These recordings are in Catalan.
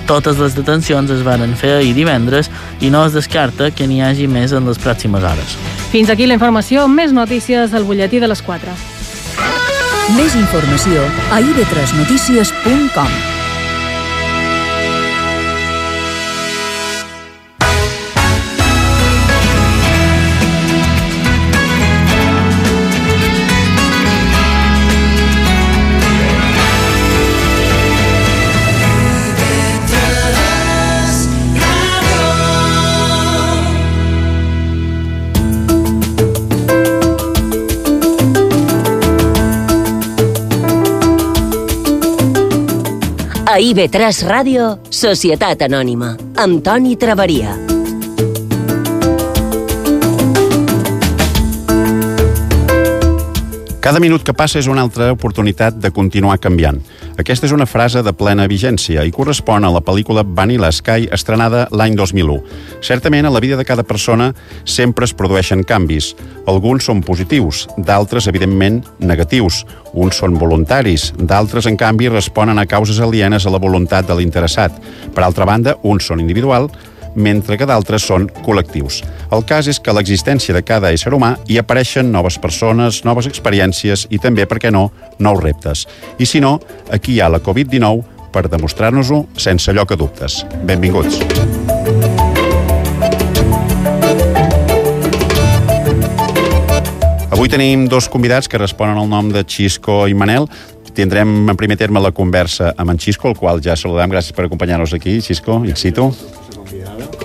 Totes les detencions es varen fer ahir divendres i no es descarta que n'hi hagi més en les pròximes hores. Fins aquí la informació, més notícies al butlletí de les 4. Més informació a ib3notícies.com. A IB3 Ràdio, Societat Anònima, amb Toni Traveria. Cada minut que passa és una altra oportunitat de continuar canviant. Aquesta és una frase de plena vigència i correspon a la pel·lícula Vanilla Sky, estrenada l'any 2001. Certament, a la vida de cada persona sempre es produeixen canvis. Alguns són positius, d'altres, evidentment, negatius. Uns són voluntaris, d'altres, en canvi, responen a causes alienes a la voluntat de l'interessat. Per altra banda, uns són individuals, mentre que d'altres són col·lectius. El cas és que a l'existència de cada ésser humà hi apareixen noves persones, noves experiències i també, per què no, nous reptes. I si no, aquí hi ha la Covid-19 per demostrar-nos-ho sense lloc a dubtes. Benvinguts. Avui tenim dos convidats que responen al nom de Xisco i Manel. Tindrem en primer terme la conversa amb en Xisco, el qual ja saludem. Gràcies per acompanyar-nos aquí, Xisco, in situ.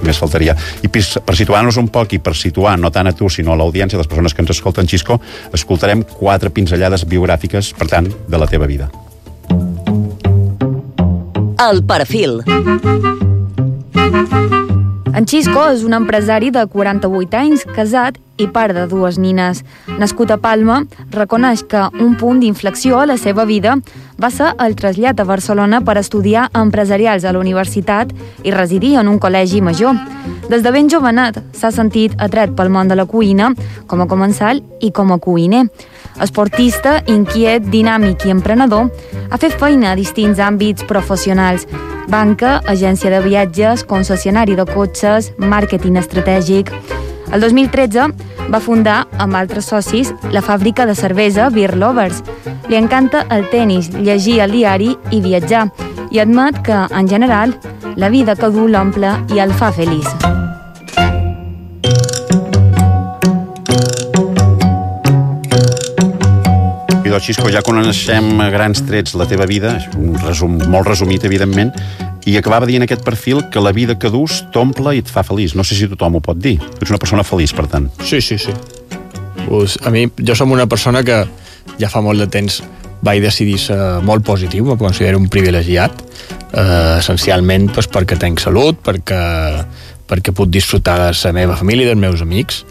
Més faltaria. I per situar-nos un poc i per situar no tant a tu sinó a l'audiència, les persones que ens escolten, Xisco, escoltarem 4 pinzellades biogràfiques, per tant, de la teva vida. El perfil. En Xisco és un empresari de 48 anys, casat i pare de 2 nines. Nascut a Palma, reconeix que un punt d'inflexió a la seva vida va ser el trasllat a Barcelona per estudiar empresarials a la universitat i residir en un col·legi major. Des de ben jovenet s'ha sentit atret pel món de la cuina, com a comensal i com a cuiner. Esportista, inquiet, dinàmic i emprenedor, ha fet feina a distints àmbits professionals: banca, agència de viatges, concessionari de cotxes, màrqueting estratègic. El 2013 va fundar, amb altres socis, la fàbrica de cervesa Beer Lovers. Li encanta el tenis, llegir el diari i viatjar, i admet que, en general, la vida que du l'omple i el fa feliç. I doncs, Xisco, ja coneixem a grans trets la teva vida, un resum molt resumit, evidentment, i acabava dient aquest perfil que la vida que dus t'omple i et fa feliç. No sé si tothom ho pot dir. Tu ets una persona feliç, per tant. Sí. Pues, a mi, jo som una persona que ja fa molt de temps vaig decidir ser molt positiu, me considero un privilegiat, essencialment pues, perquè tenc salut, perquè puc disfrutar de la meva família i dels meus amics,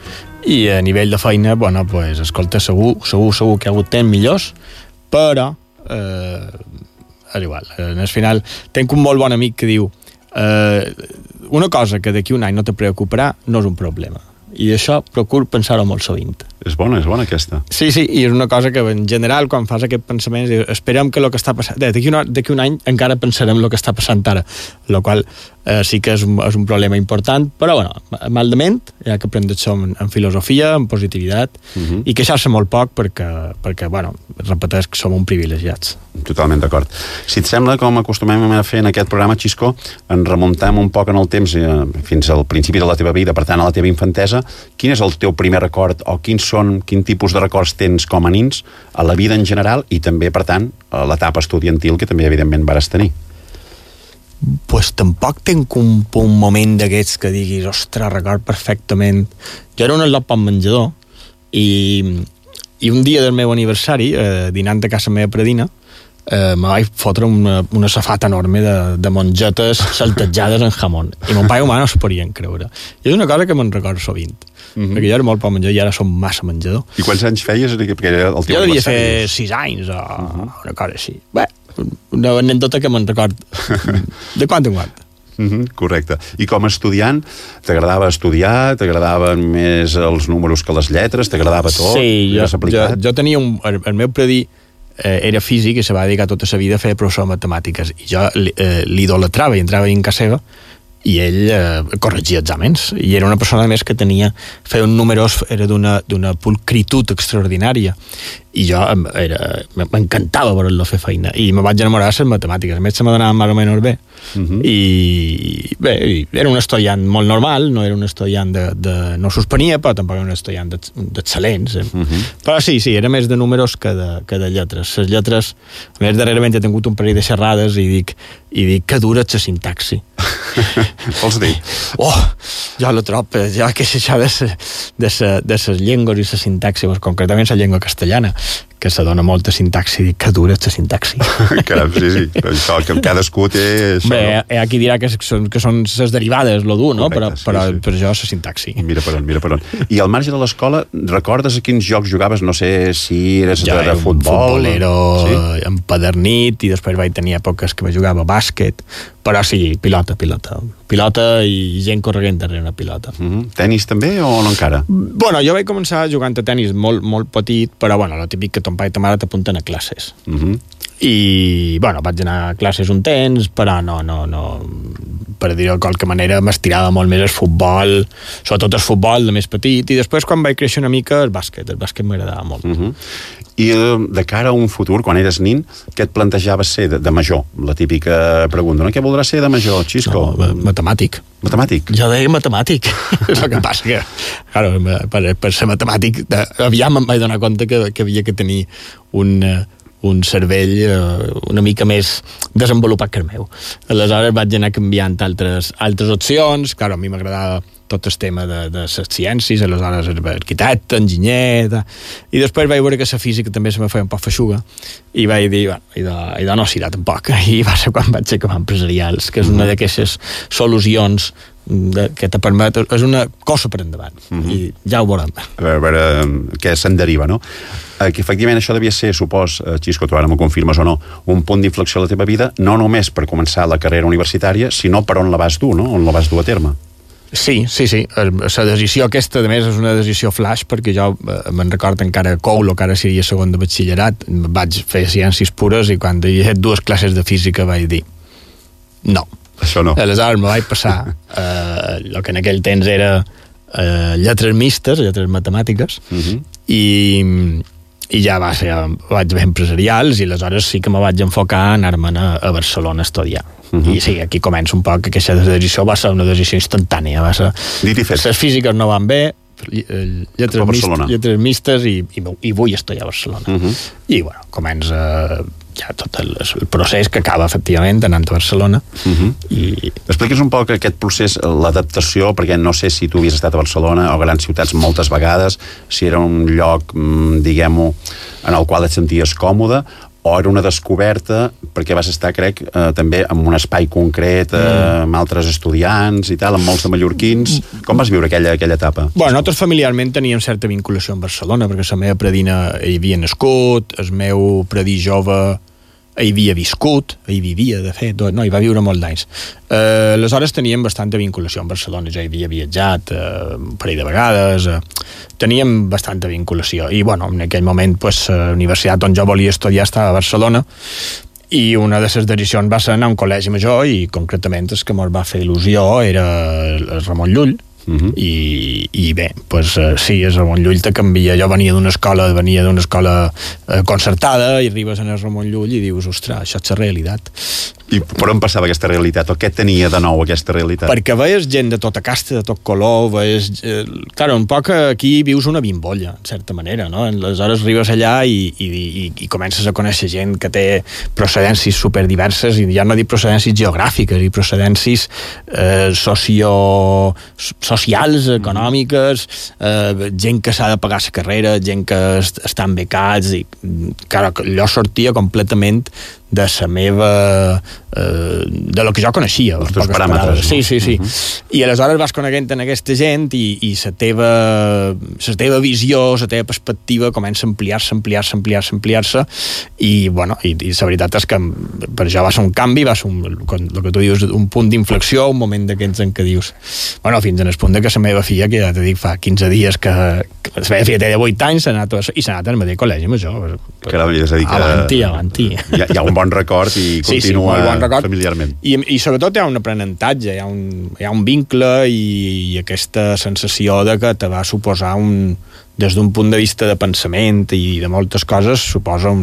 i a nivell de feina, bueno, pues, escolta, segur que hi ha hagut temps millors, però és igual. Al final, tenc un molt bon amic que diu una cosa que d'aquí un any no te preocuparà no és un problema. I això procuro pensar-ho molt sovint. És bona aquesta. Sí, i és una cosa que en general quan fas aquest pensament esperem que el que està passant d'aquí un any encara pensarem el que està passant ara, el qual sí que és un problema important, però bueno, mal de ment, hi ha que aprendre-ho en filosofia, en positivitat, i queixar-se molt poc perquè bueno, repeteix que som un privilegiats. Totalment d'acord. Si et sembla, com acostumem a fer en aquest programa, Xisco, en remuntem un poc en el temps fins al principi de la teva vida, per tant a la teva infantesa. Quin és el teu primer record o quin tipus de records tens com a nins a la vida en general i també, per tant, a l'etapa estudiantil que també, evidentment, vares tenir? Pues tampoc tenc un moment d'aquests que diguis, ostres, record perfectament. Jo era un al·lot pel menjador i un dia del meu aniversari, dinant a casa meva predina, me vaig fotre una safata enorme de mongetes saltejades en jamón. I mon pare i ma no s'ho podien creure. I és una cosa que me'n recordo sovint. Perquè jo era molt pel menjador i ara som massa menjador. I quants anys feies? Jo devia fer 6 anys o una cosa així. Bé, una anècdota que me'n record de quan en quant. Correcte. I com a estudiant, t'agradava estudiar? T'agradaven més els números que les lletres? T'agradava tot? Sí, jo tenia el meu predí era físic i se va dedicar tota la vida a fer professor de matemàtiques, i jo l'idolatrava i entrava en casa seva i ell corregia exàmens, i era una persona més que feia un números, era d'una pulcritud extraordinària, i jo m'encantava veure-lo fer feina, i me vaig enamorar de les matemàtiques. A més se m'adonaven més o menys bé, i bé, era un estudiant molt normal, no era un estudiant no suspenia, però tampoc era un estudiant d'excel·lents, però sí, era més de números que de lletres. Les lletres, a més, darrerament he tingut un parell de xerrades i dic que dura la sintaxi. Vols dir? Jo la trob, ja que és això de les llengües i la sintaxi, concretament la llengua castellana, que se dona molta sintaxi, dic que dura la sintaxi. Caram, sí, això que cadascú té... Bé, hi ha qui dirà que són les derivades, lo dur, no? Correcte, però jo la sintaxi. Mira per on. I al marge de l'escola, recordes a quins jocs jugaves? No sé si eres de futbol... Futbolero empadernit, i després vaig tenir èpoques que jugava a bàsquet, però sí, pilota i gent corrent darrere una pilota. Tenis també o no encara? Bueno, jo vaig començar jugant a tenis molt, molt petit, però bueno, el típic que ton pare i ta mare t'apunten a classes. I, bueno, vaig anar a classes un temps, però no, per dir-ho de qualque manera, m'estirava molt més el futbol, sobretot el futbol de més petit, i després quan vaig créixer una mica el bàsquet m'agradava molt. I de cara a un futur, quan eres nin, què et plantejaves ser de major? La típica pregunta, no? Què voldràs ser de major, Xisco? No, matemàtic. Matemàtic? Jo deia matemàtic. És el que passa que, claro, per ser matemàtic, aviam em vaig donar compte que havia que tenir un cervell una mica més desenvolupat que el meu. Aleshores vaig anar canviant altres opcions. Claro, a mi m'agradava tot el tema de les ciències, aleshores arquitecte, enginyer, i després vaig veure que la física també se me feia un poc feixuga, i vaig dir, bueno, no serà tampoc, i va ser quan vaig acabar empresarials, que és una d'aquestes solucions que te permet, és una cosa per endavant, i ja ho veurem. A veure què se'n deriva, no? Que efectivament això devia ser, supos, Xisco, tu ara m'ho confirmes o no, un punt d'inflexió a la teva vida, no només per començar la carrera universitària, sinó per on la vas dur, no? On la vas dur a terme. Sí. La decisió aquesta, a més, és una decisió flash, perquè jo me'n recordo encara Coulo, que ara seria segon de batxillerat, vaig fer ciències pures, i quan he fet 2 classes de física vaig dir no. Això no. Aleshores me vaig passar el que en aquell temps era lletres mistes, lletres matemàtiques, i ja vaig fer empresarials, i aleshores sí que me vaig enfocar a anar-me'n a Barcelona a estudiar. I sí, aquí comença un poc que aquesta decisió va ser una decisió instantània, va ser... Les físiques no van bé, lletres mistes, i vull estudiar a Barcelona. I bueno, comença ja tot el procés que acaba efectivament anant a Barcelona. Expliqui'ns un poc aquest procés, l'adaptació, perquè no sé si tu havies estat a Barcelona o a grans ciutats moltes vegades, si era un lloc, diguem-ho, en el qual et senties còmode, o era una descoberta, perquè vas estar, crec, també en un espai concret, amb altres estudiants i tal, amb molts de mallorquins. Com vas viure aquella etapa? Bueno, nosaltres familiarment teníem certa vinculació amb Barcelona, perquè la meva predina hi havia nascut, el meu predí jove hi havia viscut, hi vivia, de fet, no, hi va viure molt d'anys. Aleshores teníem bastanta vinculació amb Barcelona, jo hi havia viatjat un parell de vegades, teníem bastanta vinculació, i bueno, en aquell moment la universitat on jo volia estudiar estava a Barcelona, i una de les decisions va ser anar a un col·legi major, i concretament el que ens va fer il·lusió era el Ramon Llull, i bé, sí, és Ramon Llull te canvia. Jo venia d'una escola concertada, i arribes en el Ramon Llull i dius, ostres, això és la realitat. I per on passava aquesta realitat? O què tenia de nou aquesta realitat? Perquè veies gent de tota casta, de tot color, veies... Claro, un poc aquí vius una bimbolla, en certa manera, no? Aleshores arribes allà i comences a conèixer gent que té procedències superdiverses, i ja no dic procedències geogràfiques, i procedències socials, econòmiques, gent que s'ha de pagar la carrera, gent que estan becats, i claro, allò sortia completament de la meva... de lo que jo coneixia. Els teus paràmetres. Sí. I aleshores vas coneguent en aquesta gent, i la teva visió, la teva perspectiva comença a ampliar-se, i bueno, i la veritat és que per això va ser un canvi, va ser el que tu dius, un punt d'inflexió, un moment d'aquests en què dius, bueno, fins en el punt que la meva filla, que ja te dic, fa 15 dies que la meva filla té 8 anys, s'ha anat al mateix col·legi major, Caram, és a dir que... Avanti. Hi ha un bon record i continua bon record. Familiarment. I sobretot hi ha un aprenentatge, hi ha un vincle i aquesta sensació de que te va suposar des d'un punt de vista de pensament i de moltes coses, suposa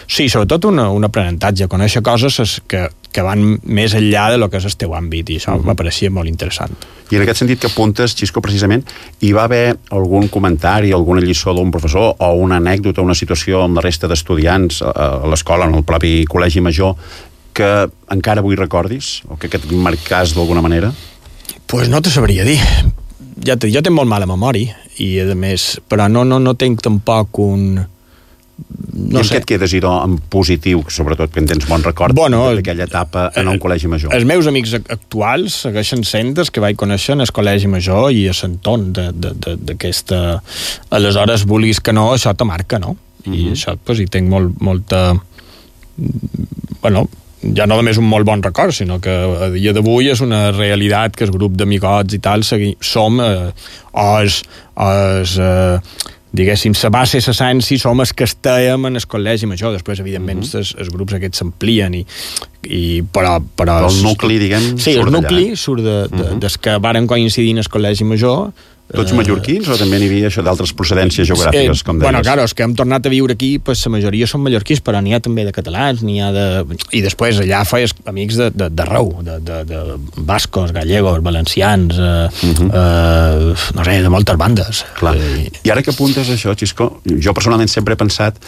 sí, sobretot un aprenentatge, conèixer coses que van més enllà de lo que és el teu àmbit, i això m'apareixia molt interessant. I en aquest sentit que apuntes, Xisco, precisament, hi va haver algun comentari, alguna lliçó d'un professor o una anècdota, una situació amb la resta d'estudiants a l'escola, en el propi col·legi major, que encara avui recordis, o que et marcàs d'alguna manera? Pues no te sabria dir. Jo tinc molt mala memòria, i a més, però no tinc tampoc un... I en què et quedes, idò, en positiu, sobretot que en tens bon record d'aquella etapa en un col·legi major? Els meus amics actuals segueixen sent els que vaig conèixer en el col·legi major i a l'entorn d'aquesta... Aleshores, vulguis que no, això te marca, no? I això, doncs, hi tinc molta... Bueno, ja no només un molt bon record, sinó que a dia d'avui és una realitat que el grup d'amigots i tal som diguéssim, la base, l'essència, som els que estàvem en el col·legi major. Després, evidentment, els grups aquests s'amplien, però el nucli, diguem, sí, el nucli surt des que varen coincidir en el col·legi major. Tots mallorquins o també n'hi havia això d'altres procedències geogràfiques, com deies? Bueno, claro, els que hem tornat a viure aquí, pues, la majoria són mallorquins, però n'hi ha també de catalans, i després allà feies amics d'arreu, de bascos, gallegos, valencians, no sé, de moltes bandes. Clar. I ara que apuntes això, Xisco, jo personalment sempre he pensat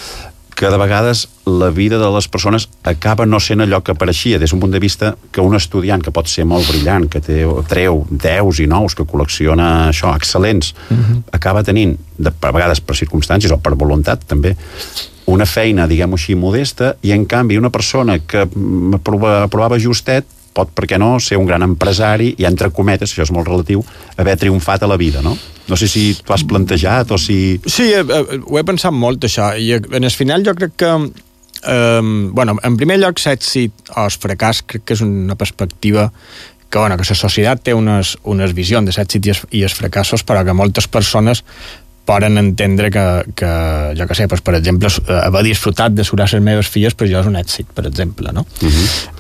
que de vegades la vida de les persones acaba no sent allò que pareixia, des d'un punt de vista que un estudiant que pot ser molt brillant, que treu 10 i 9, que col·lecciona això, excel·lents, acaba tenint, a vegades per circumstàncies o per voluntat també, una feina, diguem-ho així, modesta, i en canvi una persona que aprovava justet pot, per què no, ser un gran empresari i, entre cometes, això és molt relatiu, haver triomfat a la vida, no? No sé si t'ho has plantejat o si... Sí, ho he pensat molt, això, i en el final jo crec que bueno, en primer lloc, l'èxit o el fracàs crec que és una perspectiva que la societat té unes visions de l'èxit i els fracassos, però que moltes persones poden entendre que jo que sé, doncs, per exemple, haver disfrutat de surar les meves filles, però jo és un èxit, per exemple, no?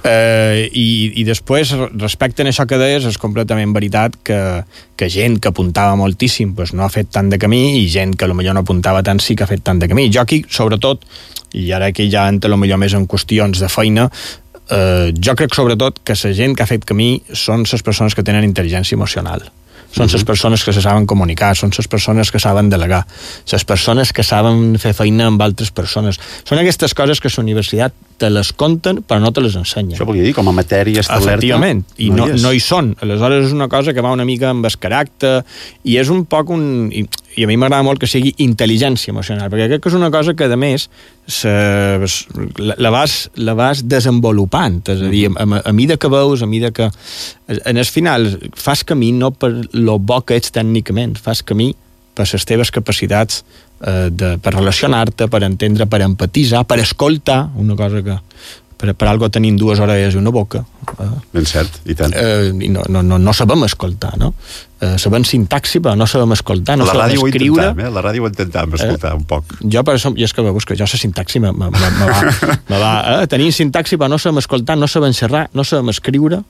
I després, respecte a això que deies, és completament veritat que gent que apuntava moltíssim doncs no ha fet tant de camí, i gent que potser no apuntava tant sí que ha fet tant de camí. Jo aquí, sobretot, i ara que ja entra potser més en qüestions de feina, jo crec sobretot que la gent que ha fet camí són les persones que tenen intel·ligència emocional. Són les persones que se saben comunicar, són les persones que saben delegar, les persones que saben fer feina amb altres persones. Són aquestes coses que la universitat te les conten però no te les ensenya. Això volia dir, com a matèria establerta. Efectivament, i no hi són. Aleshores és una cosa que va una mica amb el caràcter, i és un poc i a mi m'agrada molt que sigui intel·ligència emocional, perquè crec que és una cosa que, a més, la vas desenvolupant, és a dir, a mida que veus, a mida que... En el final, fas camí no per lo bo que ets tècnicament, fas camí per les teves capacitats per relacionar-te, per entendre, per empatitzar, per escoltar, una cosa que per algo tenim 2 orelles i una boca. Ben cert, i tant. I no sabem escoltar, no? Sabem sintaxi, però no sabem escoltar, no sabem escriure. La ràdio ho intentàvem escoltar un poc. Jo, per això, i és que veus que jo la sintaxi me va tenir sintaxi, però no sabem escoltar, no sabem xerrar, no sabem escriure.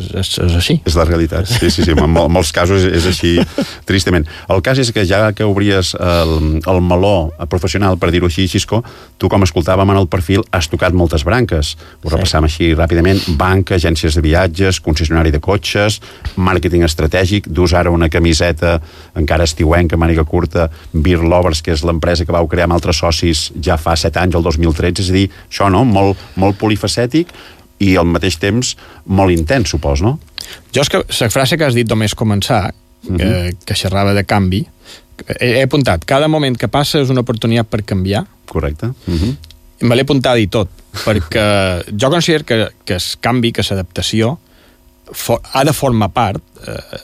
És així. És la realitat, sí, en molts casos és així, tristament. El cas és que ja que obries el meló professional, per dir-ho així, Xisco, tu, com escoltàvem en el perfil, has tocat moltes branques. Ho repassam així ràpidament: banca, agències de viatges, concessionari de cotxes, màrqueting estratègic, dus ara una camiseta encara estiuenca, màniga curta, Beer Lovers, que és l'empresa que vau crear amb altres socis ja fa 7 anys, el 2013, és a dir, això, no?, molt polifacètic, i al mateix temps molt intens, supos, no? Jo és que la frase que has dit només començar, que xerrava de canvi, he apuntat, cada moment que passa és una oportunitat per canviar. Correcte. Me l'he apuntat i tot, perquè jo considero que el canvi, que l'adaptació ha de formar part,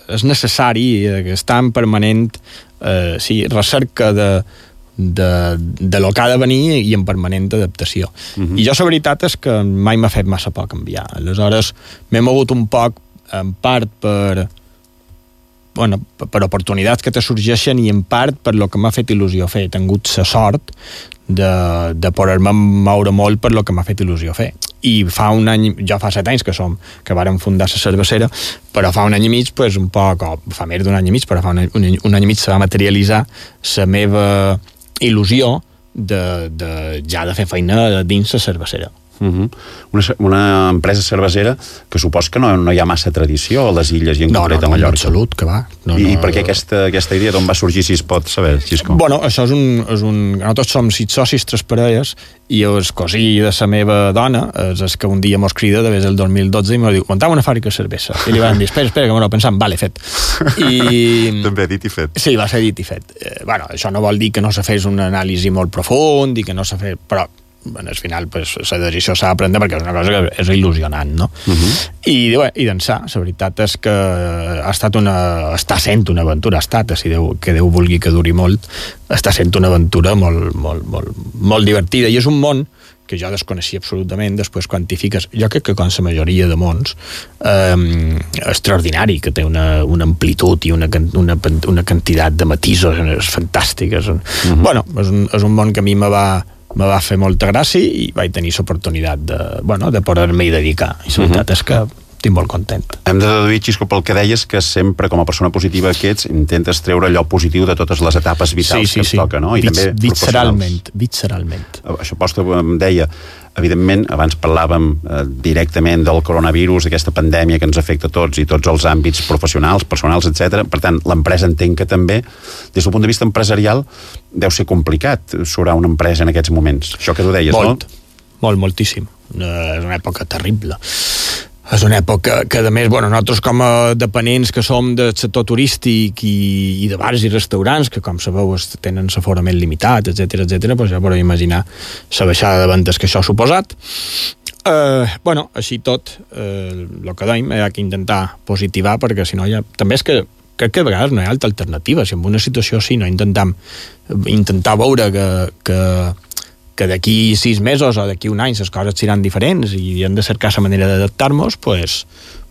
és necessari, està en permanent recerca de lo que ha de venir i en permanent adaptació. I jo la veritat és que mai m'ha fet massa por canviar. Aleshores m'he mogut un poc, en part per oportunitats que te sorgeixen, i en part per lo que m'ha fet il·lusió fer. He tingut la sort de poder-me moure molt per lo que m'ha fet il·lusió fer. I fa un any, jo fa 7 anys que vàrem fundar la cervesera, però fa un any i mig, pues, un poc, o fa més d'un any i mig, però fa un any i mig se va materialitzar la meva il·lusió ja de fer feina dins la cervesera. Una empresa cervesera que supos que no hi ha massa tradició a les illes i en concret a Mallorca. No, en absolut, que va. I per què aquesta idea d'on va sorgir, si es pot saber, Xisco? Bueno, això és un... Nosaltres som 6 socis, 3 parelles, i el cosí de la meva dona és el que un dia mos crida des del 2012 i mos diu, muntava una fàbrica de cervesa. I li van dir, espera, que m'ho pensant, vale, fet. També dit i fet. Sí, va ser dit i fet. Bueno, això no vol dir que no se fes un anàlisi molt profund i que no se fes... Però al final pues, la decisió s'ha de prendre perquè és una cosa que és il·lusionant, no? I d'ençà, la veritat és que està sent una aventura, si que Déu vulgui que duri molt, està sent una aventura molt divertida, i és un món que jo desconeixia absolutament. Després quan t'hi fiques, jo crec que com la majoria de mons, extraordinari, que té una amplitud i una quantitat de matisos fantàstiques. Bueno, és un món que a mi me va fer molta gràcia i vaig tenir l'oportunitat de poder-me-hi dedicar, i la veritat és que estic molt content. Hem de deduir, Xisco, pel que deies, que sempre, com a persona positiva que ets, intentes treure allò positiu de totes les etapes vitals que et toca, no? I també visceralment. Això posta em deia, evidentment, abans parlàvem directament del coronavirus, d'aquesta pandèmia que ens afecta a tots i tots els àmbits professionals, personals, etc. Per tant, l'empresa entenc que també, des del punt de vista empresarial, deu ser complicat surar una empresa en aquests moments. Això que tu deies, no? Moltíssim. És una època terrible. És una època que, a més, nosaltres com a dependents que som del sector turístic i de bars i restaurants, que com sabeu tenen l'aforament limitat, etc, doncs ja podeu imaginar la baixada de vendes que això ha suposat. Així tot, el que dèiem, hi ha que intentar positivar, perquè si no també és que crec que a vegades no hi ha altra alternativa. Si en una situació així no intentar veure que d'aquí 6 mesos o d'aquí un any les coses seran diferents i hem de cercar la manera d'adaptar-nos, doncs,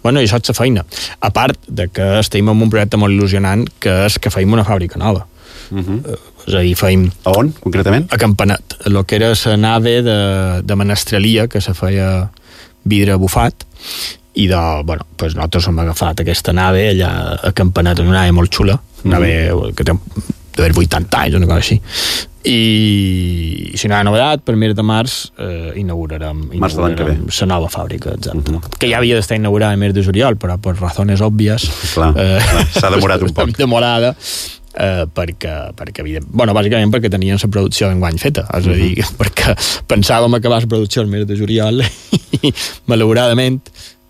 i això és la feina. A part de que estem en un projecte molt il·lusionant, que és que feim una fàbrica nova. És a dir, feim... A on, concretament? A Campanet, el que era la nave de menestrelia, que se feia vidre bufat, i nosaltres hem agafat aquesta nave allà a Campanet, una nave molt xula, una nave que té d'haver 80 anys, una cosa així. I si no hi ha novedat, per mes de març inaugurarem la nova fàbrica, exacte. Que ja havia d'estar inaugurada el mes de juliol, però per razones òbvies s'ha demorat un poc. Demorada, perquè bàsicament perquè tenien la producció d'enguany feta, és a dir, perquè pensàvem acabar la producció el mes de juliol i malauradament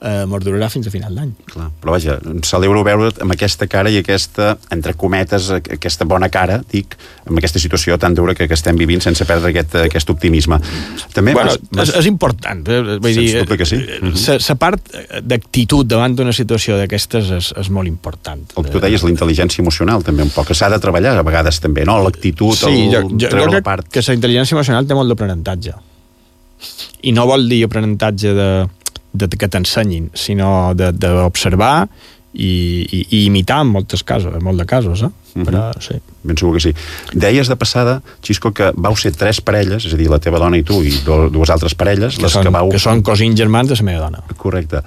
mos durarà fins a final d'any. Però vaja, celebro veure't amb aquesta cara i aquesta, entre cometes, aquesta bona cara, dic, amb aquesta situació tan dura que estem vivint sense perdre aquest optimisme. També és important, vull dir, que sí. La part d'actitud davant d'una situació d'aquestes és molt important. El que tu deies, la intel·ligència emocional també un poc, que s'ha de treballar a vegades també, no? L'actitud, treure la part... Que la intel·ligència emocional té molt d'aprenentatge. I no vol dir aprenentatge que t'ensenyin, sinó d'observar i imitar en molts de casos, però sí. Ben segur que sí. Deies de passada, Xisco, que vau ser 3 parelles, és a dir, la teva dona i tu i 2 altres parelles, que són cosins germans de la meva dona. Correcte.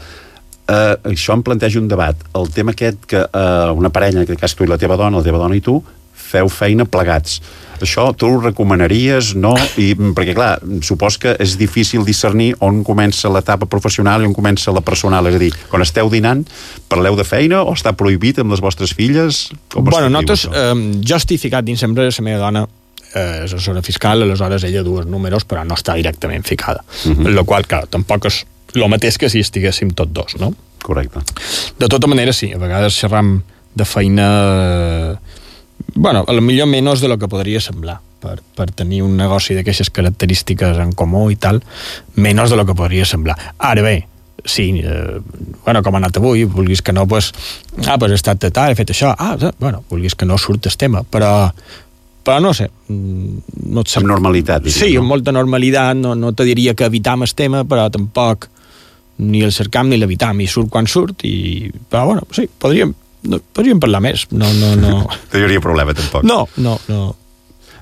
Això em planteja un debat. El tema aquest que una parella, en aquest cas tu i la teva dona i tu, feu feina plegats. Això tu ho recomanaries, no? Perquè, clar, supos que és difícil discernir on comença l'etapa professional i on comença la personal. És a dir, quan esteu dinant, parleu de feina o està prohibit amb les vostres filles? Nosaltres, jo estic ficat dins l'empresa, la meva dona és assessora fiscal, aleshores ella du els números, però no està directament ficada. El qual, clar, tampoc és el mateix que si estiguéssim tots dos, no? Correcte. De tota manera, sí, a vegades xerram de feina... a lo millor menys de lo que podria semblar per tenir un negoci d'aquestes característiques en comú i tal, menys de lo que podria semblar. Ara bé, sí, com ha anat avui, vulguis que no, he estat tal, he fet això, vulguis que no surt el tema, però no sé, no et sap... Amb normalitat, diria, sí, amb molta normalitat, no te diria que evitam el tema, però tampoc ni el cercam ni l'evitam, i surt quan surt, però sí, podríem parlar més, no. No hi hauria problema, tampoc. No.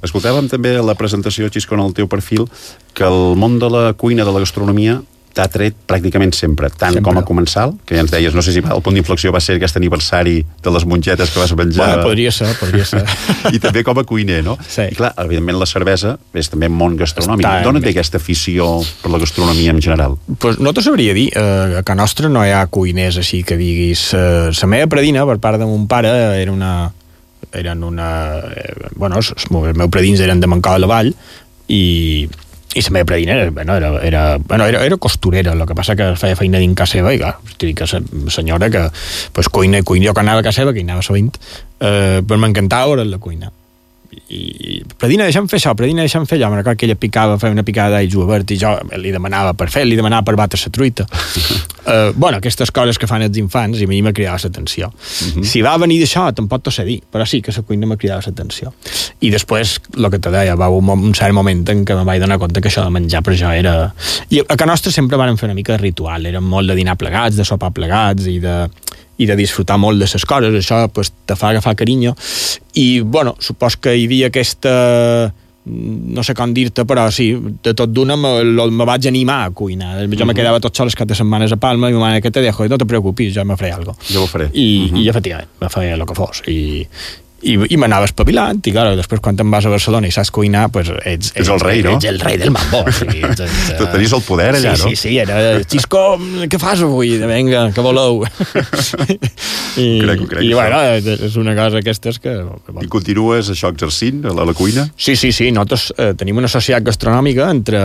Escoltàvem també a la presentació, Xisco, en el teu perfil, que el món de la cuina, de la gastronomia, t'ha tret pràcticament sempre, tant com a comensal, que ja ens deies, no sé si el punt d'inflexió va ser aquest aniversari de les mongetes que vas menjar... Bueno, podria ser. I també com a cuiner, no? Sí. I clar, evidentment la cervesa és també un món gastronòmic. D'on et ve aquesta afició per la gastronomia en general? Pues no t'ho sabria dir. A casa nostra no hi ha cuiners així que diguis... La meva predina, per part de mon pare, bueno, els meus predins eren de Mancó de la Vall i la meva predina era costurera, el que passa que feia feina dins casa seva i clar, que la senyora que pues, cuina, jo que anava a casa seva, que hi anava sovint, però m'encantava veure la cuina. I predina, deixa'm fer això, predina, deixa'm fer allò. Me'n recordo que ella feia una picada d'all julivert i jo li demanava per batre la truita. Bueno, aquestes coses que fan els infants i a mi m'ha cridat l'atenció. Si va venir d'això, tampoc t'ho sé dir, però sí que la cuina m'ha cridat l'atenció. I després, el que te deia, va haver un cert moment en què em vaig donar compte que això de menjar per jo era... I a casa nostra sempre vàrem fer una mica de ritual, érem molt de dinar plegats, de sopar plegats i de disfrutar molt de les coses, això pues, te fa agafar carinyo i, bueno, supos que hi havia aquesta no sé com dir-te, però sí, de tot d'una me vaig animar a cuinar. Jo me quedava tot sol les 4 setmanes a Palma i ma mare, que te dejo, no te preocupis, jo me faré algo. Jo ho faré. I efectivament, me feia el que fos i m'anava espavilant i clar, després quan te'n vas a Barcelona i saps cuinar, pues ets el rei, no? Ets el rei del mambo. Tenies el poder allà, no? Sí, era Xisco, què fas avui? Vinga, què voleu? I bueno, és una cosa aquestes que... I continues això exercint a la cuina? Sí, nosaltres tenim una societat gastronòmica entre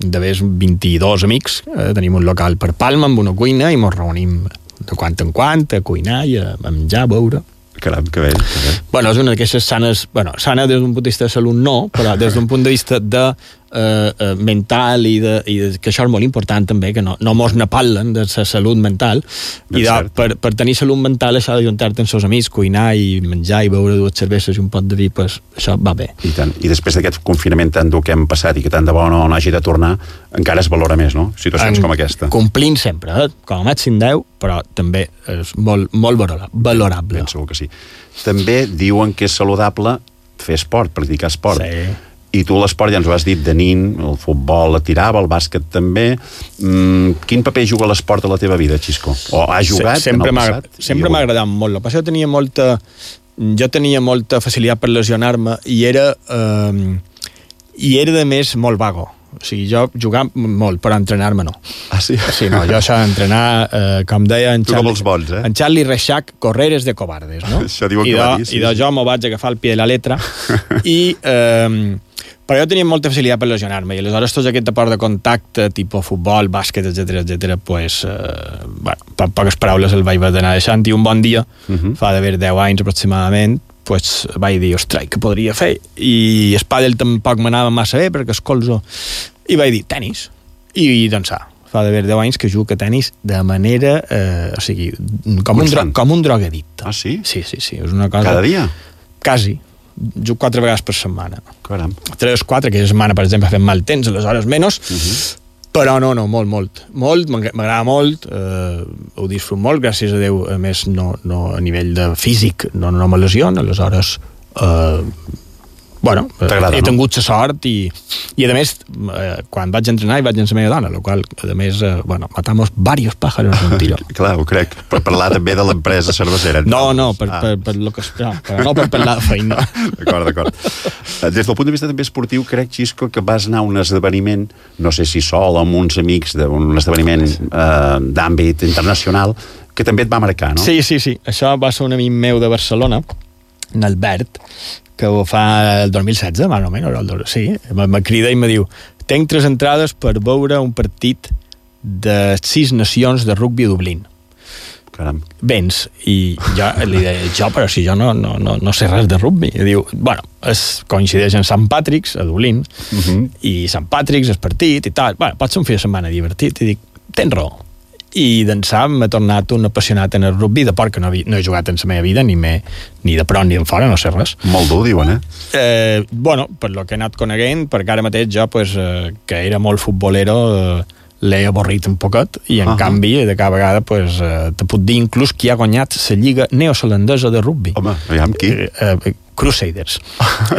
de més 22 amics, tenim un local per Palma amb una cuina i mos reunim de quant en quant a cuinar i a menjar, a beure. Caram, que bé. Bueno, és una d'aquestes sanes... Bueno, sana des d'un punt de vista de salut no, però des d'un punt de vista de mental i que això és molt important també, que no mos ne parlen de la salut mental i per tenir salut mental això de juntar-te amb els amics, cuinar i menjar i beure 2 cerveses i un pot de vi, pues, això va bé. I tant. I després d'aquest confinament tan dur que hem passat i que tant de bo no hagi de tornar, encara es valora més, no? Situacions com aquesta. Complint sempre, com a màxim 10, però també és molt valorable. Ben segur que sí. També diuen que és saludable fer esport, practicar esport. Sí. I tu l'esport ja ens ho has dit de nin, el futbol la tirava, el bàsquet també. Quin paper juga l'esport a la teva vida, Xisco? O has jugat en el passat? Sempre m'ha agradat molt. El que passa que jo tenia molta facilitat per lesionar-me i era de més molt vago. O sigui, jo jugava molt, però entrenar-me no. Ah, sí? Sí, no, jo això d'entrenar, com deia en Charlie Reixac, correr és de cobardes, no? Això diuen que va dir, sí. I jo m'ho vaig agafar al pie de la letra però jo tenia molta facilitat per lesionar-me i aleshores tot aquest deport de contacte tipus futbol, bàsquet, etc pues, bueno, per poques paraules el vaig anar deixant i un bon dia, fa d'haver 10 anys aproximadament, pues vaig dir, ostres, què podria fer? I el pàdel tampoc m'anava massa bé perquè escolzo, i vaig dir, tenis. I doncs fa d'haver 10 anys que jugo a tenis de manera, o sigui, com un drogadicte. Ah, sí? Sí, és una cosa... Cada dia? Quasi. Jugo 4 vegades per setmana. Caram. 3 o 4, aquella setmana, per exemple, fem mal temps, aleshores menys, però no, molt, m'agrada molt, ho disfruto molt, gràcies a Déu, a més, no a nivell de físic, no me lesiono, aleshores, bueno, he tingut la sort i a més, quan vaig entrenar hi vaig amb la meva dona, el qual, a més, bueno, matamos varios pájaros en un tiro. Clar, ho crec, per parlar també de l'empresa cervesera. No, per lo que però no per parlar de feina. D'acord. Des del punt de vista també esportiu, crec, Xisco, que vas anar a un esdeveniment, no sé si sol o amb uns amics, d'un esdeveniment d'àmbit internacional, que també et va marcar, no? Sí. Això va ser un amic meu de Barcelona, en Albert, que ho fa el 2016, més o menys, sí, me crida i me diu, tenc 3 entrades per veure un partit de 6 nacions de rugbi a Dublín. Caram. Vens, i jo li deia, però si jo no sé res de rugbi. I diu, bueno, coincideix en Sant Patrick's, a Dublín, i Sant Patrick's, el partit i tal, bueno, pot ser un fi de setmana divertit, i dic, tens raó. I d'ençà m'he tornat un apassionat en el rugbi, de port que no he jugat en la meva vida, ni de prop ni en fora, no sé res. Molt dur, diuen, Bueno, per lo que he anat coneguent, perquè ara mateix jo, pues, que era molt futbolero, l'he avorrit un poquet, i en canvi, de cada vegada, pues, te puc dir inclús qui ha guanyat la Lliga Neozelandesa de rugbi. Home, aviam qui? Crusaders,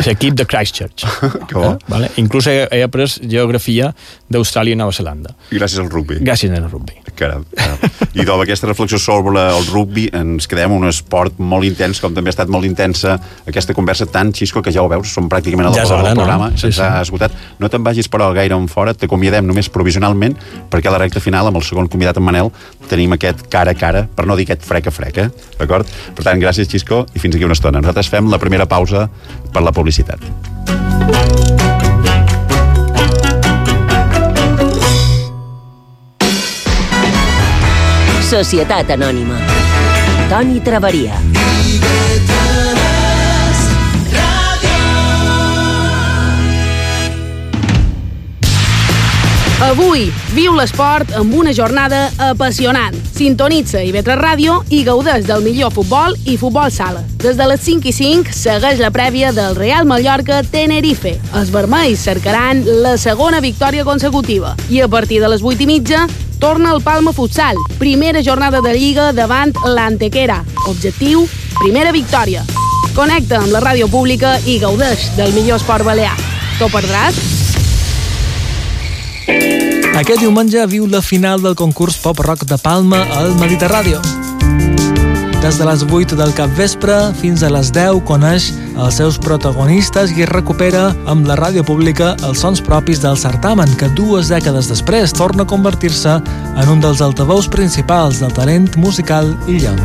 l'equip de Christchurch. Que bo. Vale? Inclús he après geografia d'Austràlia i Nova Zelanda. Gràcies al rugby. Gràcies al rugby. Caram. I amb aquesta reflexió sobre el rugby ens quedem un esport molt intens, com també ha estat molt intensa aquesta conversa tan, Xisco, que ja ho veus, som pràcticament a la del programa, se'ns ha esgotat. No te'n vagis, però, gaire en fora, t'acomiadem només provisionalment, perquè a la recta final, amb el segon convidat, en Manel, tenim aquest cara a cara, per no dir aquest frec a frec, d'acord? Per tant, gràcies, Xisco, i fins aquí una estona. Nosaltres fem la primera pausa per la publicitat. Societat Anònima. Toni Traveria. Avui, viu l'esport amb una jornada apassionant. Sintonitza IB3 Ràdio i gaudeix del millor futbol i futbol sala. Des de les 5:05 segueix la prèvia del Real Mallorca-Tenerife. Els vermells cercaran la segona victòria consecutiva. I a partir de les 8:30 torna el Palma Futsal. Primera jornada de Lliga davant l'Antequera. Objectiu, primera victòria. Connecta amb la ràdio pública i gaudeix del millor esport balear. T'ho perdràs? Aquest diumenge viu la final del concurs pop-rock de Palma al Mediterràdio. Des de les 8 del capvespre fins a les 10 coneix els seus protagonistes i recupera amb la ràdio pública els sons propis del certamen, que 2 dècades després torna a convertir-se en un dels altaveus principals del talent musical illenc.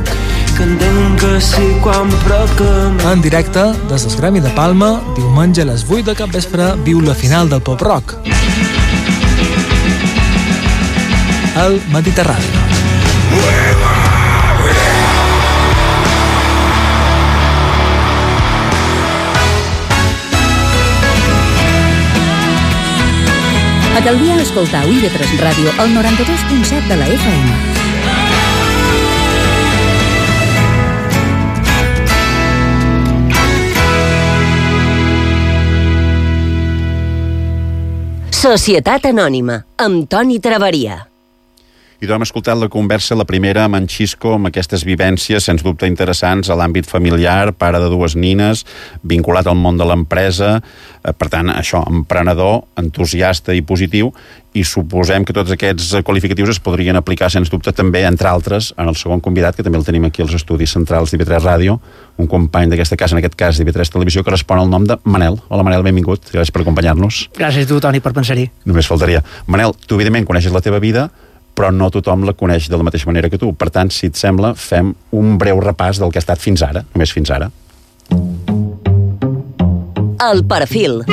En directe, des del Gremi de Palma, diumenge a les 8 del capvespre viu la final del pop-rock al Mediterrani. Acalvia escoltar IB3 Ràdio al 92.7 de la FM. Societat Anònima, amb Toni Traveria. I doncs hem escoltat la conversa, la primera amb en Xisco, amb aquestes vivències, sens dubte interessants, a l'àmbit familiar, pare de 2 nines, vinculat al món de l'empresa, per tant, això, emprenedor, entusiasta i positiu, i suposem que tots aquests qualificatius es podrien aplicar, sens dubte, també, entre altres, en el segon convidat, que també el tenim aquí als estudis centrals d'IB3 Ràdio, un company d'aquesta casa, en aquest cas d'IB3 Televisió, que respon al nom de Manel. Hola, Manel, benvingut. Gràcies per acompanyar-nos. Gràcies a tu, Toni, per pensar-hi. Només faltaria. Manel, tu, evidentment, coneixes la teva vida, però no tothom la coneix de la mateixa manera que tu. Per tant, si et sembla, fem un breu repàs del que ha estat fins ara, només fins ara. El perfil.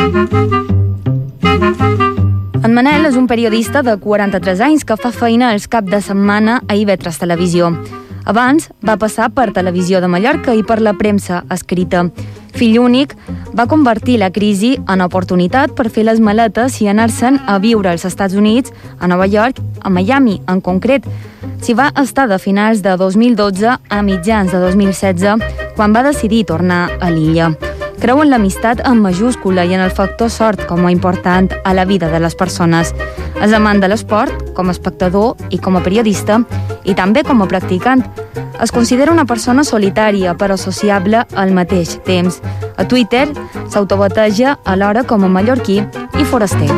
En Manel és un periodista de 43 anys que fa feina els caps de setmana a IB3 Televisió. Abans va passar per Televisió de Mallorca i per la premsa escrita. Fill únic, va convertir la crisi en oportunitat per fer les maletes i anar-se'n a viure als Estats Units, a Nova York, a Miami en concret. S'hi va estar de finals de 2012 a mitjans de 2016, quan va decidir tornar a l'illa. Creu en l'amistat en majúscula i en el factor sort com a important a la vida de les persones. És amant de l'esport, com a espectador i com a periodista, i també com a practicant. Es considera una persona solitària, però sociable al mateix temps. A Twitter s'autobateja alhora com a mallorquí i foraster.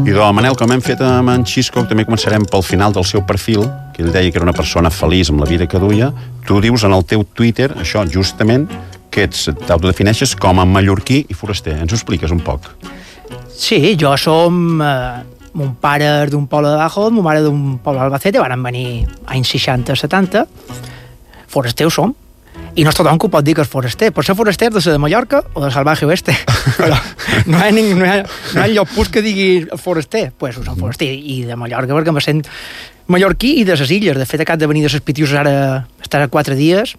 I doncs, Manel, com hem fet amb en Xisco, també començarem pel final del seu perfil, que ell deia que era una persona feliç amb la vida que duia. Tu dius en el teu Twitter, això justament, que t'autodefineixes com a mallorquí i foraster. Ens ho expliques un poc? Sí, jo som... mon pare és d'un poble de Bajo, mon mare d'un poble d'Albacete, van venir anys 60-70. Foraster ho som. I no és tothom que ho pot dir que és foraster. Pot ser foraster de Mallorca o de Salvaje Oeste. Però no hi ha lloc pus que digui foraster. Pues ho som foraster. I de Mallorca perquè me sent mallorquí i de les illes. De fet, acabo de venir de les Pitiuses ara estar 4 dies.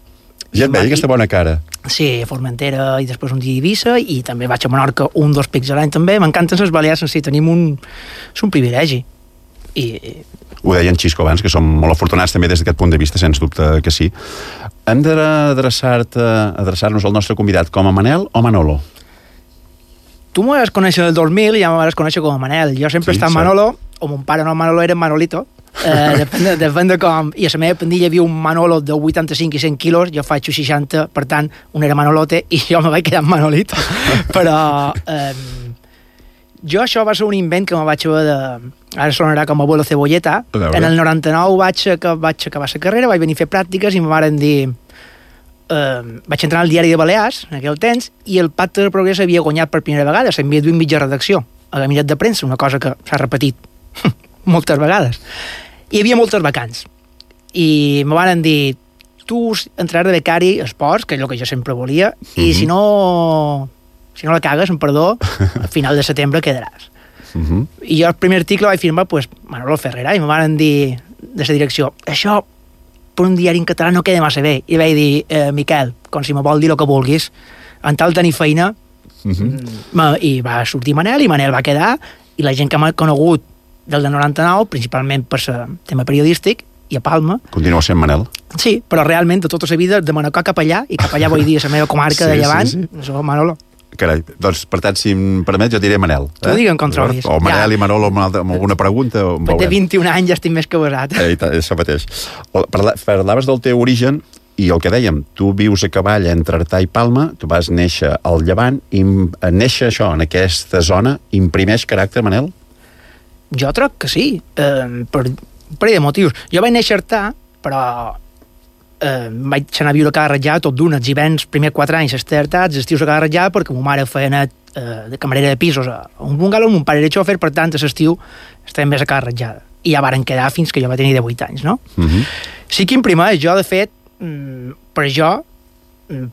Ja et veia aquesta bona cara. Sí, a Formentera i després un dia a Eivissa i també vaig a Menorca 1-2 pics a l'any també. M'encanten les Balears, sí, tenim un privilegi. Ho deia en Xisco abans, que som molt afortunats també des d'aquest punt de vista, sens dubte que sí. Hem d'adreçar-nos al nostre convidat com a Manel o Manolo? Tu m'ho vas conèixer el 2000 i ja m'ho vas conèixer com a Manel. Jo sempre he estat Manolo, o mon pare no Manolo era Manolito, depèn de com, i a la meva pandilla hi havia un Manolo de 85 i 100 quilos, jo faig 60, per tant, un era Manolote i jo me vaig quedar amb Manolito. Però jo això va ser un invent que me vaig haver de... Ara sonarà com abuelo cebolleta. En el 99 vaig acabar la carrera, vaig venir a fer pràctiques i me varen dir... vaig entrar al diari de Balears, en aquell temps, i el Pacte de Progrés havia guanyat per primera vegada, s'havia duit mitja redacció a la gabinet de premsa, una cosa que s'ha repetit moltes vegades. Hi havia moltes vacants. I me van dir, tu entraràs de becari a esports, que és el que jo sempre volia, i si no la cagues, en perdó, al final de setembre quedaràs. I jo el primer article vaig firmar Manolo Ferrera, i me van dir de la direcció, això per un diari en català no queda massa bé. I vaig dir, Miquel, com si me vol dir el que vulguis, en tal tenir feina, i va sortir Manel, i Manel va quedar, i la gent que m'ha conegut del de 99, principalment per el tema periodístic, i a Palma. Continua sent Manel. Sí, però realment de tota la vida, de Manacor cap allà, i cap allà vull dir la meva comarca de Llevant, això Manolo. Carai, doncs per tant, si em permets, jo diré Manel. Tu digue'm com trobis. O Manel i Manolo amb alguna pregunta. Té 21 anys, ja estic més que besat. Això mateix. Parlaves del teu origen, i el que dèiem, tu vius a cavall entre Artà i Palma, tu vas néixer al Llevant, i néixer això, en aquesta zona, imprimeix caràcter, Manel? Jo crec que sí, per un parell de motius. Jo vaig néixer a Artà, però vaig anar a viure a Ca Ratjada tot d'un, els hiverns, primer 4 anys estar a Artà, els estius a Ca Ratjada, perquè ma mare feia net de camarera de pisos a un bungalow, mon pare era xòfer, per tant, a l'estiu estàvem més a Ca Ratjada. I ja varen quedar fins que jo va tenir 18 anys, no? Sí que imprimeix, jo, de fet, per jo,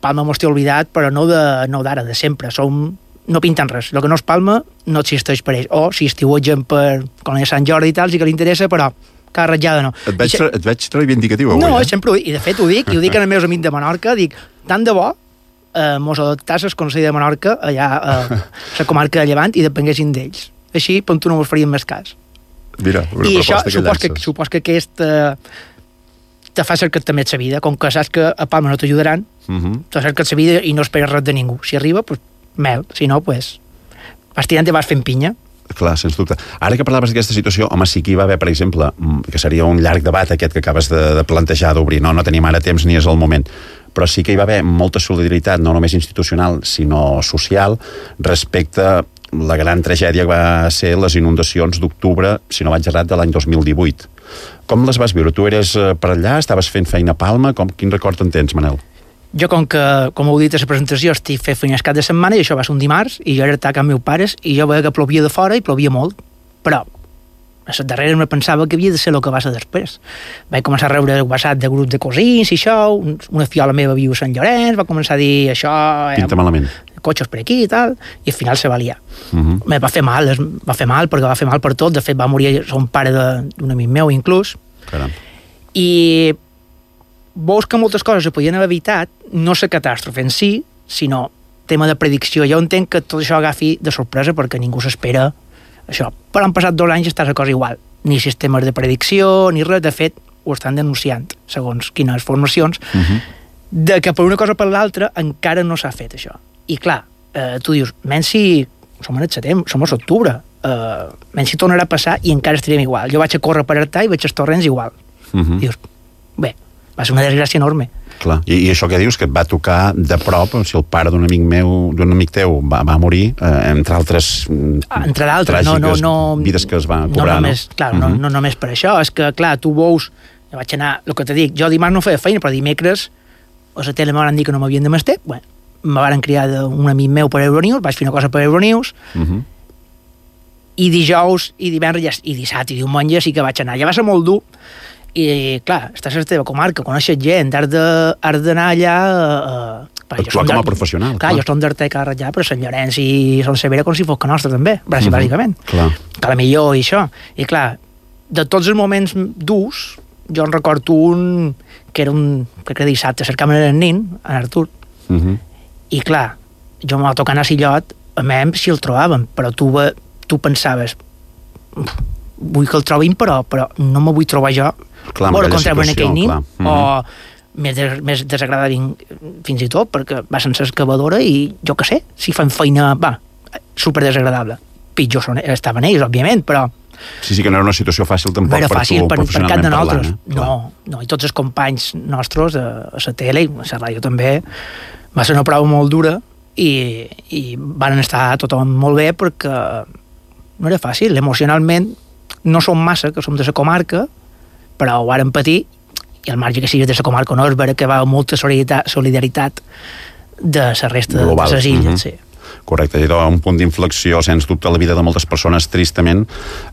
Palma m'ho estic oblidat, però no d'ara, de sempre. No pinten res. El que no és Palma no existeix per ells. O si estiuegen per com és Sant Jordi i tal, sí que li interessa, però Ca Ratjada no. Et veig reivindicatiu avui, no, sempre i de fet ho dic, i ho dic als meus amics de Menorca, dic, tant de bo mos adoptasses el Consell de Menorca allà a la comarca de Llevant i depenguessin d'ells. Així, per tu no mos farien més cas. Mira, una i proposta això, supos que aquest te fa cercar també la vida, com que saps que a Palma no t'ajudaran, te cerques la vida i no esperes res de ningú. Si arriba, doncs mel, si no, doncs vas tirant i vas fent pinya. Clar, sens dubte. Ara que parlaves d'aquesta situació, home, sí que hi va haver, per exemple, que seria un llarg debat aquest que acabes de plantejar, d'obrir, no tenim ara temps ni és el moment, però sí que hi va haver molta solidaritat, no només institucional, sinó social, respecte a la gran tragèdia que va ser les inundacions d'octubre, si no vaig errat, de l'any 2018. Com les vas viure? Tu eres per allà, estaves fent feina a Palma, quin record en tens, Manel? Jo, com heu dit a la presentació, estic fent feines cap de setmana, i això va ser un dimarts, i jo era a amb meus pares, i jo veia que plovia de fora, i plovia molt, però a les darreres me pensava que havia de ser el que va ser després. Vaig començar a rebre WhatsApp de grup de cosins i això, una fiola meva viu a Sant Llorenç, va començar a dir això... Pinta malament. Cotxes per aquí i tal, i al final se va liar. Me va fer mal, perquè va fer mal per tot. De fet, va morir un pare d'un amic meu, inclús. Caram. I veus que moltes coses se podien haver evitat, no la catàstrofe en si, sinó tema de predicció. Jo entenc que tot això agafi de sorpresa perquè ningú s'espera això. Però han passat 2 anys i està la cosa igual. Ni sistemes de predicció, ni res. De fet, ho estan denunciant, segons quines formacions, de que per una cosa o per l'altra encara no s'ha fet això. I clar, tu dius, menys si som en el setembre, som a l'octubre, menys si tornarà a passar i encara estarem igual. Jo vaig a córrer per Artà i veig els torrents igual. Dius, bé, va ser una desgràcia enorme. Clar. I això que dius, que et va tocar de prop, si el pare d'un amic teu va morir, entre altres tràgiques vides que es van cobrar, no? Clar, no només per això, és que, clar, tu veus, jo vaig anar, el que te dic, jo dimarts no feia feina, però dimecres a la tele me van dir que no m'havien de mester, bueno, me van criar d'un amic meu per Euronews, vaig fer una cosa per Euronews, i dijous, i divendres, i dissabte, i diumenge sí que vaig anar. Ja va ser molt dur, i clar, estàs a la teva comarca, coneixes gent, has d'anar allà... Actuar com a professional. Clar, jo som d'Artà i Ca Ratjada, però Sant Llorenç i Son Severa com si fos que nostre també, bàsicament. Que la millor i això. I clar, de tots els moments durs, jo en recordo un que era crec que dissabte, cercàvem el nin, en Artur, i clar, jo m'ha tocat anar a Sillot, a mi si el trobàvem, però tu pensaves, vull que el trobin, però no me vull trobar jo, veure com treuen aquell nin, o més desagradable fins i tot, perquè va sense excavadora i jo què sé, si fan feina, va, super desagradable. pitjor estaven ells, òbviament, però... Sí, que no era una situació fàcil tampoc per tu, professionalment parlant. No, i tots els companys nostres a la tele i a la ràdio també, va ser una prova molt dura i van estar tothom molt bé perquè no era fàcil, emocionalment no som massa, que som de la comarca, però ho vàrem patir, i al marge que siguis de la comarca o no, és vera que va molta solidaritat de la resta de les illes, sí. Correcte, i un punt d'inflexió, sens dubte, a la vida de moltes persones, tristament,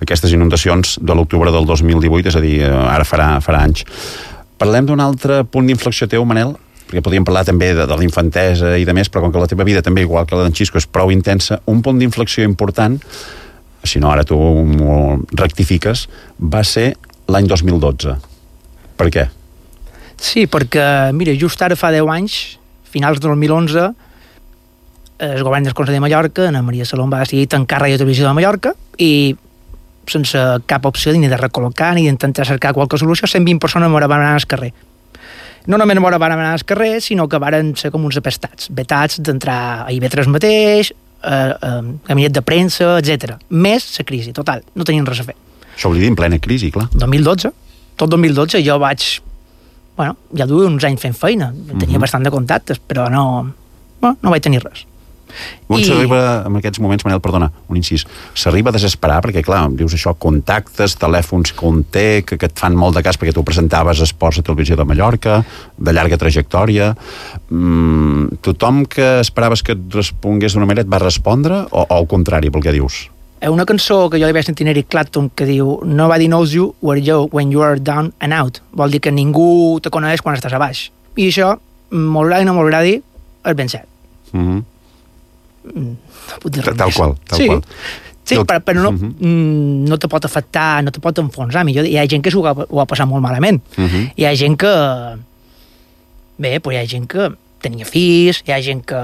aquestes inundacions de l'octubre del 2018, és a dir, ara farà anys. Parlem d'un altre punt d'inflexió teu, Manel, perquè podríem parlar també de la infantesa i de més, però com que la teva vida també, igual que la d'en Xisco, és prou intensa, un punt d'inflexió important, si no ara tu m'ho rectifiques, va ser l'any 2012. Per què? Sí, perquè, mira, just ara fa 10 anys, finals de 2011, el govern del Consell de Mallorca, Ana Maria Salom, va decidir tancar Ràdio Televisió de Mallorca i sense cap opció ni de recol·locar ni d'intentar cercar qualque solució, 120 persones van anar al carrer. No només van anar al carrer, sinó que van ser com uns apestats, vetats d'entrar a IB3 mateix, gabinet de premsa, etc. Més la crisi, total, no tenien res a fer. Això vol dir en plena crisi, clar. 2012, tot 2012 jo vaig, ja duia uns anys fent feina, tenia bastant de contactes, però no vaig tenir res. On s'arriba, en aquests moments, Manel, perdona, un incís, s'arriba a desesperar, perquè clar, dius això, contactes, telèfons que un té, que et fan molt de cas perquè tu presentaves esports a Televisió de Mallorca, de llarga trajectòria. Tothom que esperaves que et respongués d'una manera et va respondre, o al contrari, pel que dius? Una cançó que jo li vaig sentir a Eric Clapton que diu Nobody knows you when you are down and out. Vol dir que ningú te coneix quan estàs a baix. I això, m'agradi o no m'agradi, és ben cert. Tal qual. Sí, però no te pot afectar, no te pot enfonsar. Millor, hi ha gent que s'ho ha passat molt malament. Hi ha gent que... Bé, hi ha gent que tenia fills, hi ha gent que...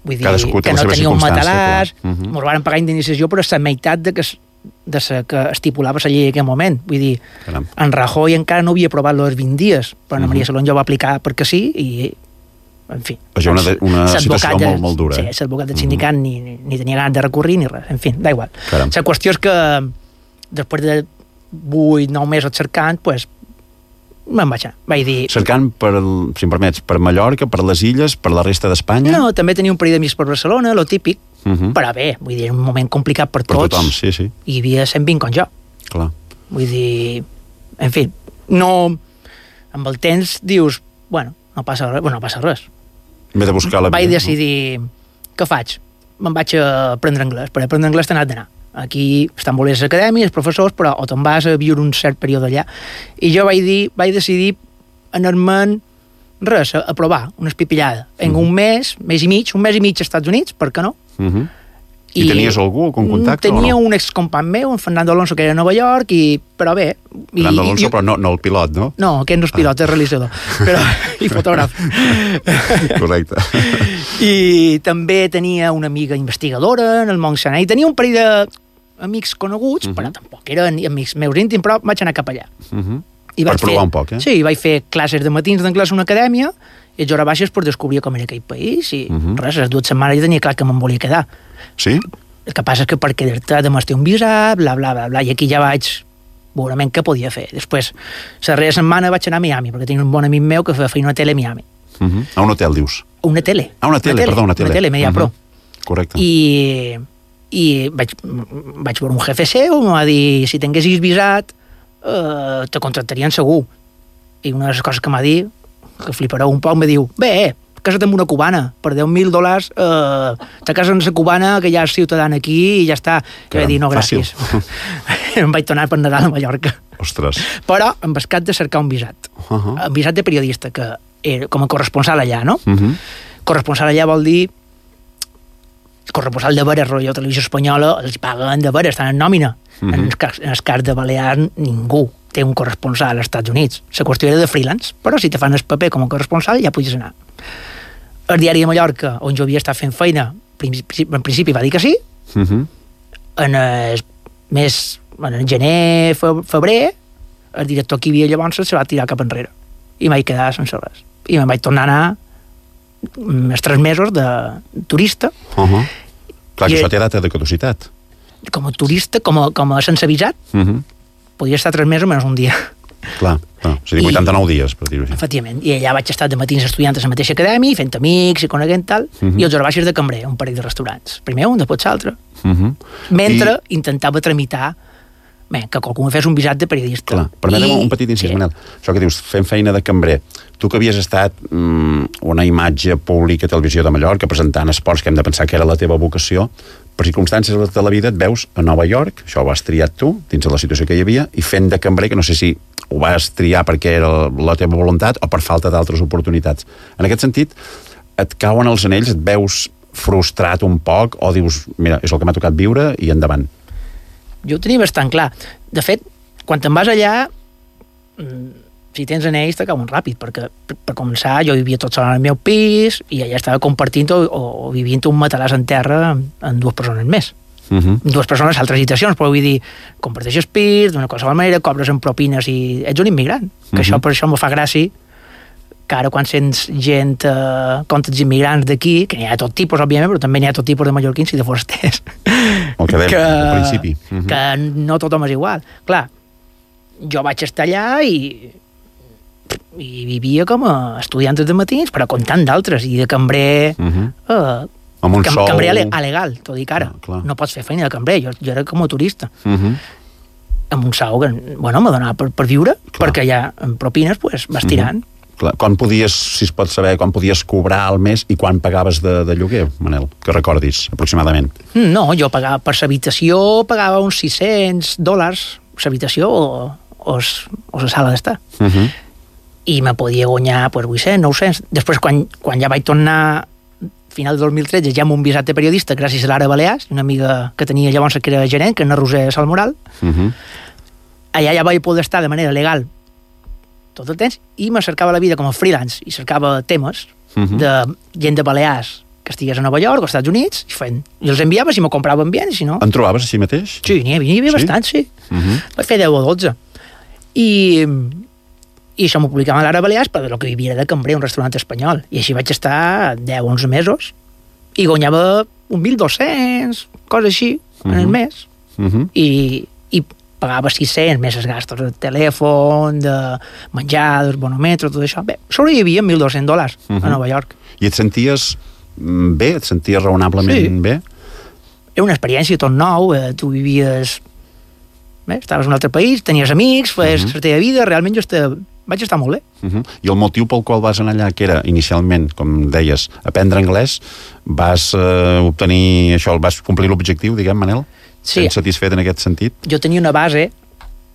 Vull dir, que no tenia un matalàs, ens van pagar indemnització, però és la meitat de que estipulava la llei en aquell moment. Vull dir, en Rajoy encara no havia aprovat els 20 dies, però Ana Maria Salom ja ho va aplicar perquè sí, i en fi. És una situació molt dura. Sí, l'advocat del sindicat ni tenia ganes de recurrir ni res, en fi, da igual. La qüestió és que després de 8-9 mesos cercant, doncs me'n vaig anar. Vaig dir... Cercant, si em permets, per Mallorca, per les illes, per la resta d'Espanya? No, també tenia un parell d'amics per Barcelona, lo típic, però bé, vull dir, un moment complicat per tots. Per tothom, sí. Hi havia 120 com jo. Clar. Vull dir, en fi, no... Amb el temps dius, no passa res. M'he de buscar la vida. Vaig decidir, què faig? Me'n vaig a aprendre anglès, perquè aprendre anglès t'ha anat d'anar. Aquí estan molt bé les acadèmies, els professors, però o te'n vas a viure un cert període allà. I jo vaig decidir anar-me'n a provar, una espipillada. En un mes i mig als Estats Units, per què no? I tenies algú con contacte o no? Tenia un excompany meu, en Fernando Alonso, que era a Nova York, però bé... Fernando Alonso, però no el pilot, no? No, aquest no és pilot, és realitzador, i fotògraf. Correcte. I també tenia una amiga investigadora en el món sanitari, i tenia un parell d'amics coneguts, però tampoc eren amics meus íntims, però vaig anar cap allà. Per provar un poc, eh? Sí, vaig fer classes de matins d'anglès a una acadèmia, i a hores baixes per descobrir com era aquell país, i res, les 2 setmanes ja tenia clar que me'n volia quedar. Sí? El que passa és que per quedar-te demà té un visat, bla, bla, bla, bla, i aquí ja vaig veurament què podia fer. Després, la darrera setmana vaig anar a Miami, perquè tenia un bon amic meu que feia feina a tele a Miami. A un hotel, dius? Una tele. Una tele, Media Pro. Correcte. I vaig veure un jefe seu, em va dir, si tinguessis visat, te contractarien segur. I una de les coses que m'ha dit, que flipareu un poc, em diu, bé, casa't amb una cubana, per $10,000 te cases amb la cubana, que ja és ciutadana aquí, i ja està. I vaig dir, no, gràcies. Em vaig tornar per Nadal a Mallorca. Ostres. Però em vas de cercar un visat. Un visat de periodista, que era com a corresponsal allà, no? Corresponsal allà vol dir corresponsal de veres, rotllo Televisió Espanyola, els paguen de veres, estan en nòmina. En el cas de Balears, ningú té un corresponsal als Estats Units. La qüestió era de freelance, però si te fan el paper com a corresponsal ja podies anar. El diari de Mallorca, on jo havia estat fent feina, en principi va dir que sí. En gener, febrer, el director que hi havia llavors se va tirar cap enrere. I m'hi vaig quedar sense res. I me'n vaig tornar a anar els 3 mesos de turista. Clar, que això té data de caducitat. com a turista, com a sense visat, podia estar 3 mesos menys un dia. Clar. És a dir, 89 dies, per dir-ho així. Efectivament. I allà vaig estar de matins estudiant a la mateixa acadèmia, fent amics i coneguent tal, i els hores baixes de cambrer, un parell de restaurants. Primer un, després l'altre. Mentre intentava tramitar que qualcú fes un visat de periodista. Clar, permetem un petit incís, Manel. Això que dius, fent feina de cambrer. Tu que havies estat una imatge pública a Televisió de Mallorca, presentant esports, que hem de pensar que era la teva vocació, per circumstàncies de la vida et veus a Nova York, això ho has triat tu, dins de la situació que hi havia, i fent de cambrer, que no sé si ho vas triar perquè era la teva voluntat o per falta d'altres oportunitats. En aquest sentit, et cauen els anells, et veus frustrat un poc, o dius, mira, és el que m'ha tocat viure i endavant? Jo ho tenia bastant clar. De fet, quan te'n vas allà, si tens anells t'acaben ràpid, perquè per començar jo vivia tot sol al meu pis i allà estava compartint o vivint un matalàs en terra amb 2 persones més. 2 persones a altres habitacions, però vull dir, comparteixes pis d'una qualsevol manera, cobres en propines i ets un immigrant. Que això per això me fa gràcia que ara quan sents gent contra els immigrants d'aquí, que n'hi ha de tot tipus, òbviament, però també n'hi ha tot tipus de mallorquins i de forasters. El que dèiem al principi. Que no tothom és igual. Clar, jo vaig estar allà i vivia com a estudiant de matins, però com tant d'altres, i de cambrer... amb un sou... Cambrer alegal, t'ho dic ara. No pots fer feina de cambrer, jo era com a turista. Amb un sou que, bueno, me donava per viure, perquè allà, en propines, pues, vas tirant. Quan podies, si es pot saber, quan podies cobrar al mes i quan pagaves de lloguer, Manel? Que recordis, aproximadament. No, jo pagava per l'habitació, pagava uns $600, l'habitació o la sala d'estar. I me podia guanyar, pues, 800, 900. Després, quan ja vaig tornar final de 2013, ja amb un visat de periodista, gràcies a l'Ara Balears, una amiga que tenia llavors que era gerent, que és Roser Salmoral, allà ja vaig poder estar de manera legal tot el temps, i me cercava la vida com a freelance, i cercava temes de gent de Balears que estigués a Nova York o als Estats Units, i els enviava si m'ho compraven bé, i si no... En trobaves així mateix? Sí, n'hi havia bastant, sí. Vaig fer 10 o 12. I això m'ho publicava a l'Ara Balears, però del que vivia de cambrer, un restaurant espanyol. I així vaig estar 10-11 mesos, i guanyava 1.200, coses així, en el mes. I pagava 600 més els gastos de telèfon, de menjar, del bonometro, tot això. Bé, sobrevivia amb $1.200 a Nova York. I et senties bé? Et senties raonablement bé? Era una experiència tot nou, tu vivies... Bé, estaves en un altre país, tenies amics, feies la teva vida, realment vaig estar molt bé. I el motiu pel qual vas anar allà, que era inicialment, com deies, aprendre anglès, vas obtenir això, vas complir l'objectiu, diguem, Manel? Sí. Ets satisfet en aquest sentit? Jo tenia una base,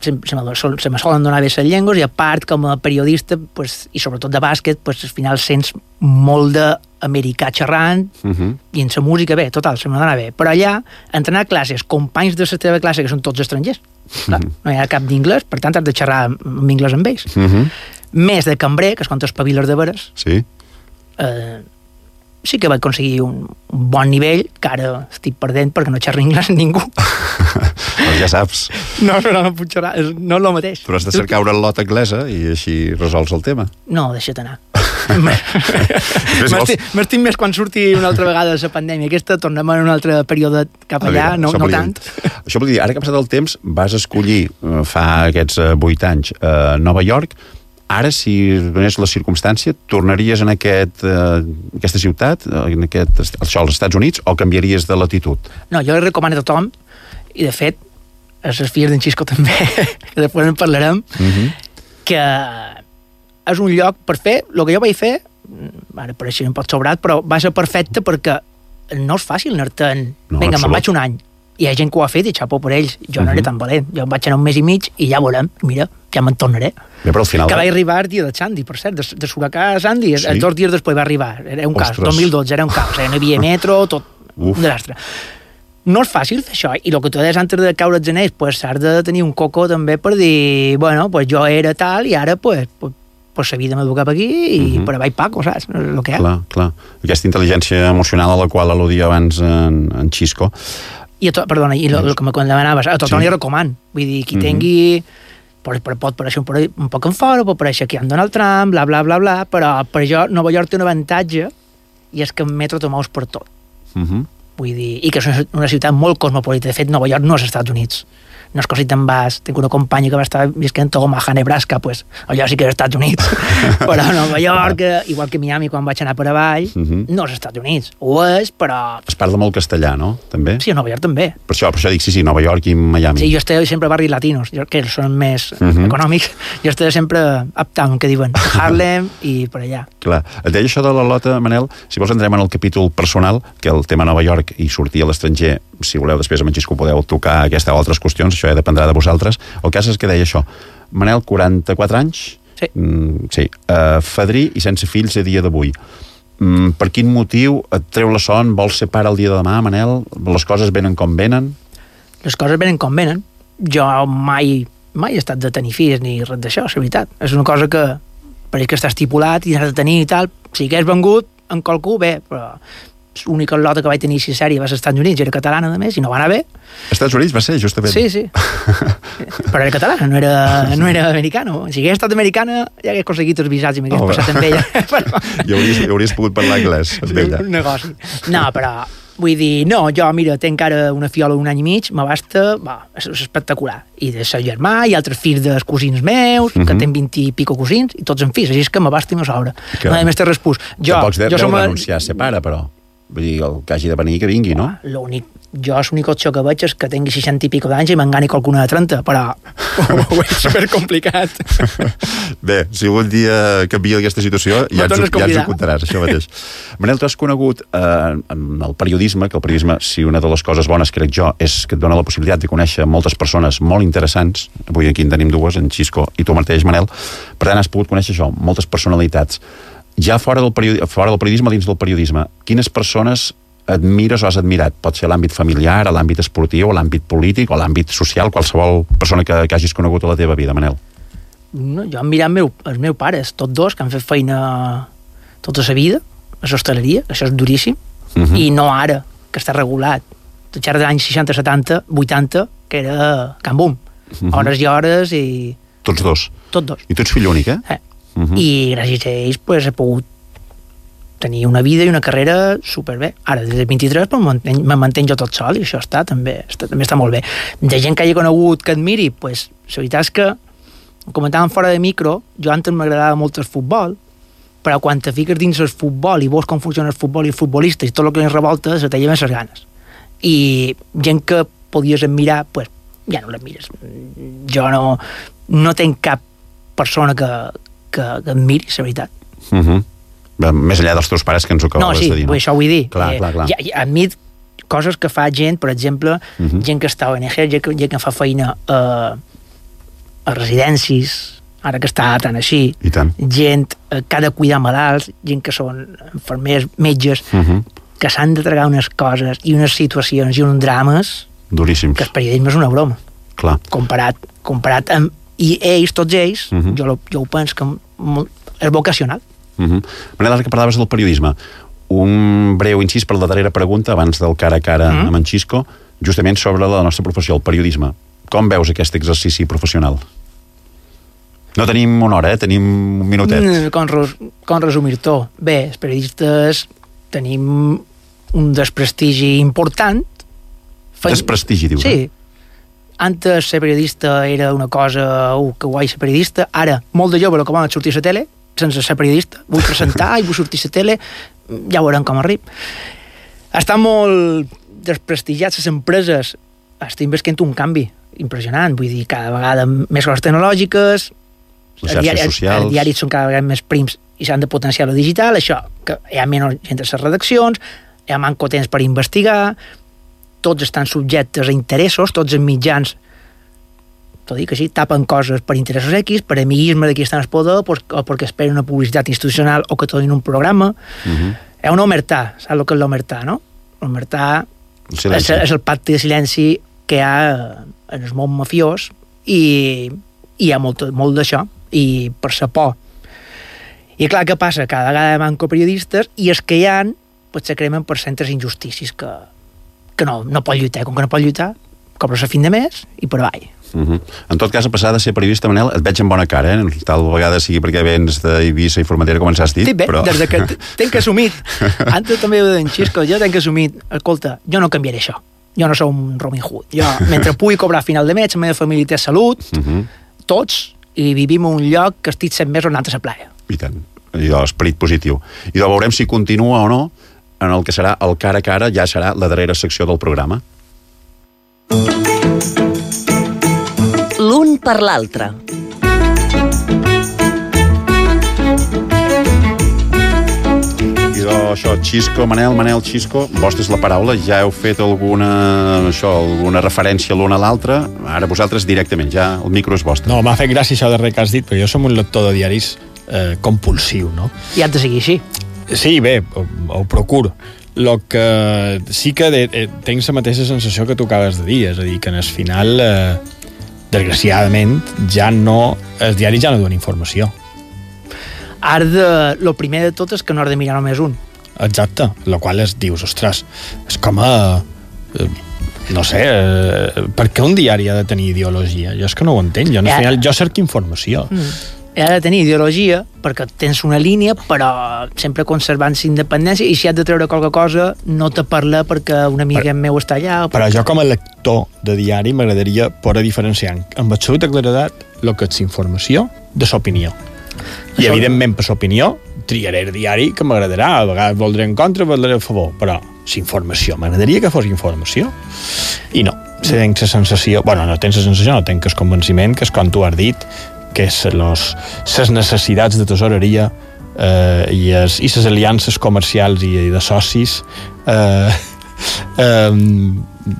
se me solen donar bé les llengües, i a part, com a periodista, pues, i sobretot de bàsquet, pues, al final sents molt d'americà xerrant, i en la música, bé, total, se me dona bé. Però allà, entrenar a classes, companys de la teva classe, que són tots estrangers, clar, no hi ha cap d'inglès, per tant has de xerrar en anglès amb ells. Més de cambrer, que és quan t'espaviles de veres, sí que vaig aconseguir un bon nivell, que ara estic perdent perquè no xerro anglès amb ningú. Doncs ja saps. No puc xerrar, no és el mateix. Però has de cercar una lota anglesa i així resols el tema. No, deixa't anar. M'estic més quan surti una altra vegada la pandèmia. Aquesta tornem en un altre període cap allà, no tant. Això vol dir, ara que ha passat el temps, vas escollir fa aquests 8 anys a Nova York. Ara, si donés la circumstància, tornaries en aquesta ciutat, als Estats Units, o canviaries de latitud? No, jo li recomano a tothom, i de fet, a les filles d'en Xisco també, que després en parlarem, que és un lloc per fer el que jo vaig fer, ara pareixia un poc sobrat, però va ser perfecte perquè no és fàcil anar-te'n. Vinga, me'n vaig un any. Hi ha gent que ho ha fet i xapó per ells. Jo no era tan valent. Jo vaig anar un mes i mig i ja veurem. Mira, ja me'n tornaré. Bé, però al final... Que va arribar el dia de Sandy, per cert, de Suracà a Sandy. Sí? 2 dies després va arribar. Era un caos. 2012 era un caos. No hi havia metro, tot un desastre. No és fàcil fer això. I el que tu deies antes de caure els anells, pues has de tenir un coco també per dir, bueno, pues jo era tal i ara pues la vida m'ha cap aquí i per avall Paco, saps? El que hi ha. Clar. Aquesta intel·ligència emocional a la qual al·ludia abans en Xisco. Perdona, i el que me demanaves, a tothom li recoman. Vull dir, qui tingui... Pot pareixer un poc en fora, pot pareixer que hi han Donald Trump, bla, bla, bla, bla, però per jo Nova York té un avantatge i és que en metro te mous per tot. vull dir, i que és una ciutat molt cosmopolita. De fet, Nova York no és als Estats Units. No és que si te'n vas, tinc una companya que va estar visquent a Omaha, Nebraska, pues, allò sí que és als Estats Units. Però Nova York, igual que Miami, quan vaig anar per avall, no és als Estats Units. Ho és, però... Es parla molt castellà, no? També? Sí, a Nova York també. Per això dic, sí, Nova York i Miami. Sí, jo estic sempre a barris latinos, que són més econòmics. Jo estic sempre uptown, que diuen, Harlem i per allà. Clar. Et deia això de la Lota, Manel, si vols entrem en el capítol personal, que el tema Nova York i sortir a l'estranger, si voleu després amb en Xisco podeu tocar aquesta o altres qüestions, això ja dependrà de vosaltres. El cas és que deia això. Manel, 44 anys? Sí. Sí. Fadrí i sense fills a dia d'avui. Per quin motiu et treu la son? Vols ser pare el dia de demà, Manel? Les coses venen com venen? Les coses venen com venen. Jo mai he estat de tenir fills ni res d'això, és veritat. És una cosa que pareix que està estipulat i has de tenir i tal. Si hagués vengut en qualcú, bé, però l'única lota que vaig tenir així sèrie va ser als Estats Units, era catalana a més, i no va anar bé. Als Estats Units va ser, justament? Sí. Però era catalana, no era americana. Si hagués estat americana, ja hagués aconseguit els visats i m'hagués passat amb ella. I hauries pogut parlar anglès amb ella. Un negoci. No, però vull dir, no, jo, mira, tenc encara una fiola d'un any i mig, m'abasta, és espectacular. I de ser germà, i altres fills dels cosins meus, que tenen 20 i pico cosins, i tots en fills, així és que m'abasta i me sobra. No hi ha més té respús. Tampoc deu renunciar a ser pare, però. Vull dir, el que hagi de venir, que vingui, no? L'únic opció que veig és que tingui 60 i pico d'anys i m'engani qualcuna de 30, però ho veig supercomplicat. Bé, si algun dia canvia aquesta situació, ja ens ho contaràs, això mateix. Manel, tu has conegut en el periodisme, que el periodisme, si una de les coses bones, crec jo, és que et dona la possibilitat de conèixer moltes persones molt interessants. Avui aquí en tenim dues, en Xisco i tu mateix, Manel. Per tant, has pogut conèixer això, moltes personalitats. Ja fora del periodisme, dins del periodisme, quines persones admires o has admirat? Pot ser a l'àmbit familiar, a l'àmbit esportiu, a l'àmbit polític o a l'àmbit social, qualsevol persona que hagis conegut a la teva vida, Manel. No, jo he mirat els meus pares, tots dos, que han fet feina tota la vida, a l'hostaleria, això és duríssim, i no ara, que està regulat. Tot xerra de l'any 60, 70, 80, que era Can Bum. Hores i hores i... Tots dos? Tots dos. I tu ets fill únic, eh? I gràcies a ells pues, he pogut tenir una vida i una carrera superbé. Ara, des de 23 me mantenc jo tot sol i això també està molt bé. De gent que hagi conegut que admiri, pues, la veritat és que, comentàvem fora de micro, jo antes m'agradava molt el futbol, però quan te fiques dins el futbol i veus com funciona el futbol i els futbolistes i tot el que ens revolta, se te lleven les ganes. I gent que podies admirar, pues, ja no l'admires. Jo no tenc cap persona que admiri, la veritat. Més enllà dels teus pares que ens ho acabaves de dir. No, sí, això vull dir. Clar. Admit coses que fa gent, per exemple, gent que està a ONG, gent que fa feina a residències, ara que està tan així, gent que ha de cuidar malalts, gent que són infermers, metges, que s'han de tragar unes coses i unes situacions i uns drames duríssims, que el periodisme és una broma. Clar. Comparat amb... I ells, tots ells, jo ho penso que és vocacional. Manel, ara que parlaves del periodisme, un breu incís per la darrera pregunta abans del cara a cara amb en Xisco, justament sobre la nostra professió, el periodisme. Com veus aquest exercici professional? No tenim una hora, tenim un minutet. Com resumir-t'ho? Bé, els periodistes tenim un desprestigi important. Desprestigi, dius? Sí. Antes ser periodista era una cosa, que guai ser periodista. Ara, molt de jove el que volen sortir a la tele, sense ser periodista. Vull presentar i vull sortir a la tele, ja veurem com arriba. Estan molt desprestigiats les empreses. Estem veient un canvi impressionant, vull dir, cada vegada més coses tecnològiques, les xarxes socials, els diaris són cada vegada més prims i s'han de potenciar lo digital, això, que hi ha menys gent a les redaccions, hi ha manco temps per investigar, tots estan subjectes a interessos, tots els mitjans, t'ho dic així, tapen coses per interessos X, per amiguisme de qui està en el poder, o perquè esperen una publicitat institucional o que te donin un programa. Hi ha una omertà, saps el que és l'omertà, no? L'omertà és el pacte de silenci que hi ha en el món mafiós i hi ha molt d'això, i per sa por. I clar, què passa? Cada vegada manco periodistes i els que hi ha, pues, se cremen per centres injustícies que no pot lluitar. Com que no pot lluitar, cobres a fin de mes i per avall. En tot cas, a passar de ser periodista, Manel, et veig amb bona cara, tal vegada sigui perquè vens d'Eivissa i Formentera, com ens has dit. Sí, bé, però... des que tenc assumit, antes també ho deia en Xisco, jo tenc assumit, escolta, jo no canviaré això, jo no sóc un Robin Hood, jo, mentre pugui cobrar a final de mes, la meva família té salut, tots, i vivim en un lloc que estic 7 mesos anant a la playa. I tant, allò, esperit positiu. I veurem si continua o no en el que serà el cara a cara, ja serà la darrera secció del programa. L'un per l'altre. I això, Xisco, Manel, Xisco, vostra és la paraula, ja heu fet alguna referència l'un a l'altre, ara vosaltres directament, ja el micro és vostre. No, m'ha fet gràcia això darrer que has dit, perquè jo som un lector de diaris compulsiu, no? I has de seguir així. Sí, bé, ho procuro. Lo que sí que tenc la mateixa sensació que tu acabes de dir, és a dir, que en el final, desgraciadament, els diaris ja no duen informació. Ara, el primer de tot és que no has de mirar només un. Exacte, el qual dius, ostres, és com a... no sé, per què un diari ha de tenir ideologia? Jo és que no ho entenc, al final jo cerco informació. Ha de tenir ideologia perquè tens una línia, però sempre conservant independència, i si has de treure qualque cosa no te parla perquè un amic meu està allà. Però jo com a lector de diari m'agradaria poder diferenciar amb absoluta claredat el que és informació de l'opinió. I evidentment per l'opinió triaré el diari que m'agradarà, a vegades voldré en contra, voldré a favor, però l'informació, m'agradaria que fos informació. I no, tens la sensació, no tens la sensació, no tens el convenciment que és com tu has dit, que és les necessitats de tesoreria i les aliances comercials i de socis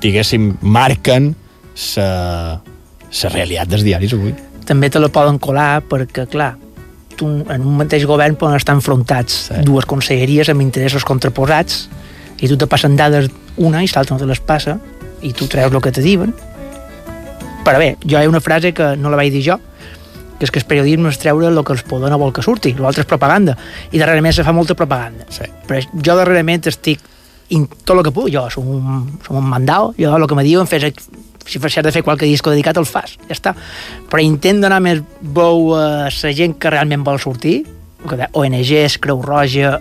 diguéssim, marquen la realitat dels diaris avui. També te la poden colar perquè, clar, en un mateix govern poden estar enfrontats dues conselleries amb interessos contraposats i tu te passen dades una i l'altra no te les passa i tu treus el que te diuen. Però bé, jo hi ha una frase que no la vaig dir jo, que és que el periodisme és treure el que el poder no vol que surti, l'altre és propaganda, i darrerament se fa molta propaganda. Però jo darrerament estic tot el que puc, jo som un mandau, jo el que me diuen si has de fer qualque disco dedicat el fas, ja està. Però intent donar més veu a la gent que realment vol sortir, ONGs, Creu Roja,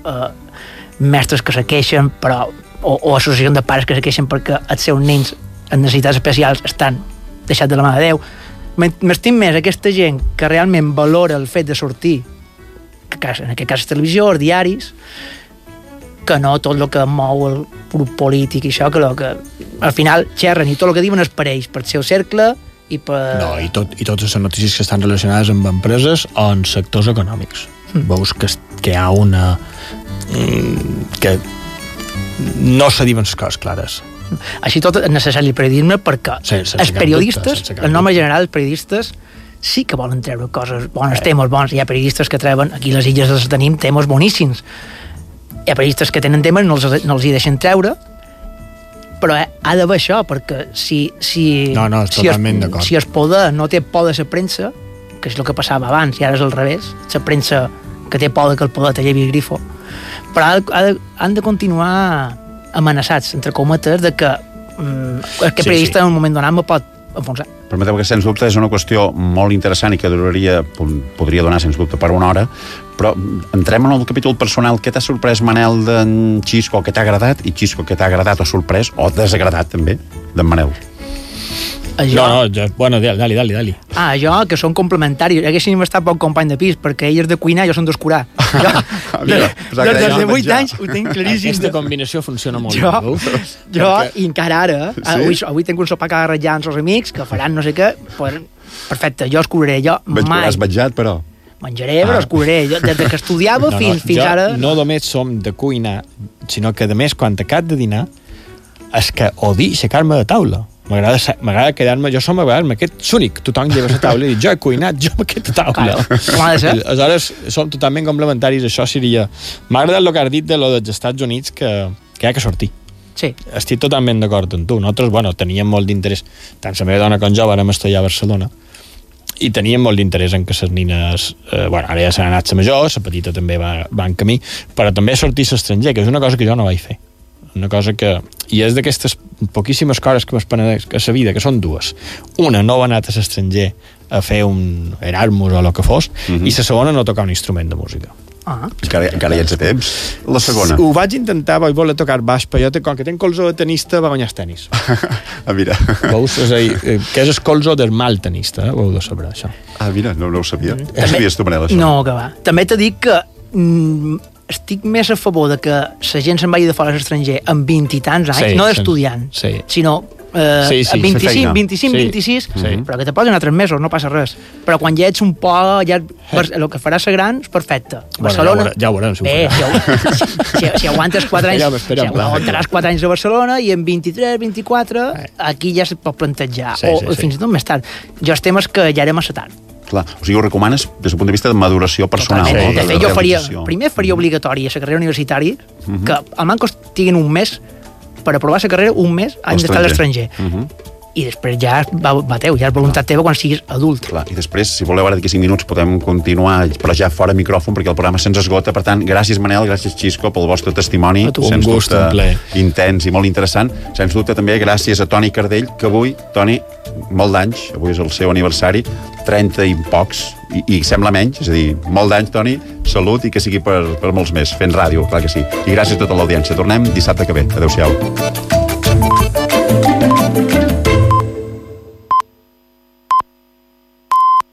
mestres que se queixen, o associacions de pares que se queixen perquè els seus nens amb necessitats especials estan deixats de la mà de Déu. M'estim més aquesta gent que realment valora el fet de sortir, en aquest cas televisió, els diaris, que no tot el que mou el grup polític i això, que al final xerren i tot el que diuen és per ells, per el seu cercle i per... No, i totes les notícies que estan relacionades amb empreses o en sectors econòmics. Veus que hi ha una... que no se diuen les coses clares. Així tot és necessari el periodisme perquè els periodistes, el nom general, els periodistes sí que volen treure coses bones, temes bons. Hi ha periodistes que treuen, aquí a les illes els tenim, temes boníssims. Hi ha periodistes que tenen temes, no els hi deixen treure, però ha d'haver això, perquè si el poder no té por de la premsa, que és el que passava abans i ara és al revés, la premsa que té por que el poder te llevi el grifo, però han de continuar amenaçats, entre cometes, de que aquest periodista en un moment donat me pot enfonsar. Permeteu que, sens dubte, és una qüestió molt interessant i que podria donar, sens dubte, per una hora, però entrem en el capítol personal. Què t'ha sorprès, Manel, d'en Xisco, que t'ha agradat, i Xisco, que t'ha agradat o sorprès, o desagradat, també, d'en Manel? Dali. Jo, que són complementaris. Haguéssim estat poc company de pis, perquè ell és de cuinar i jo som d'escurar. Des de 8 anys ho tinc claríssim. Aquesta combinació funciona molt bé. Jo, i encara ara, avui tinc un sopar que arranjar amb els amics, que faran no sé què, perfecte, jo escuraré. Has menjat, però? Menjaré, però escuraré. Des que estudiava fins ara... No només som de cuinar, sinó que, a més, quan acabo de dinar, és que odio aixecar-me de taula. M'agrada quedar-me, jo som a vegades aquest únic, tothom lleva la taula i jo he cuinat, jo amb aquesta taula. Aleshores som totalment complementaris, això seria... M'ha agradat el que has dit de lo dels Estats Units, que hi ha que sortir. Sí. Estic totalment d'acord amb tu. Nosaltres, teníem molt d'interès, tant la meva dona com jo vàrem estudiar a Barcelona, i teníem molt d'interès en que les nines, ara ja s'han anat la major, la petita també va en camí, però també sortir a l'estranger, que és una cosa que jo no vaig fer. una cosa que... I és d'aquestes poquíssimes coses que m'espenedeix a la vida, que són dues. Una, no va anar a l'estranger a fer un Erasmus o el que fos, i la segona, no tocar un instrument de música. Encara hi ets a temps. La segona. Ho vaig intentar, vaig voler tocar baix, però jo, com que tenc colzó de tenista, va guanyar el tenis. Mira. Veus? És a dir, que és el colzó del mal tenista, ho heu de saber, això. Mira, no ho sabia. Ho sabies tu, Manel, això? No, que va. També t'he dit que estic més a favor de que la gent se'n vagi de fora a l'estranger amb 20 i tants anys, no d'estudiant, sinó 25, 26, però que te poden anar 3 mesos, no passa res. Però quan ja ets un poc, ja el que faràs ser gran és perfecte. Barcelona, ja ho veurem, si ho farà. Si aguantes 4 anys, si aguantaràs 4 anys a Barcelona i en 23, 24, aquí ja es pot plantejar, o fins i tot més tard. Jo el tema és que ja anem massa tard. Clar, o sigui, ho recomanes des del punt de vista de maduració personal. De fet, jo primer faria obligatori a la carrera universitària que al manco estiguin un mes per aprovar la carrera, un mes han d'estar a l'estranger. I després ja bateu, ja és voluntat teva quan siguis adult. Clar, i després, si voleu, ara d'aquí 5 minuts podem continuar, però ja fora micròfon, perquè el programa se'ns esgota. Per tant, gràcies, Manel, gràcies, Xisco, pel vostre testimoni. Un gust, un ple. Intens i molt interessant. Sens dubte també gràcies a Toni Cardell, que avui, Toni, molt d'anys, avui és el seu aniversari, 30 i pocs, i sembla menys, és a dir, molt d'anys, Toni, salut i que sigui per molts més, fent ràdio, clar que sí. I gràcies a tota l'audiència. Tornem dissabte que ve. Adéu-siau.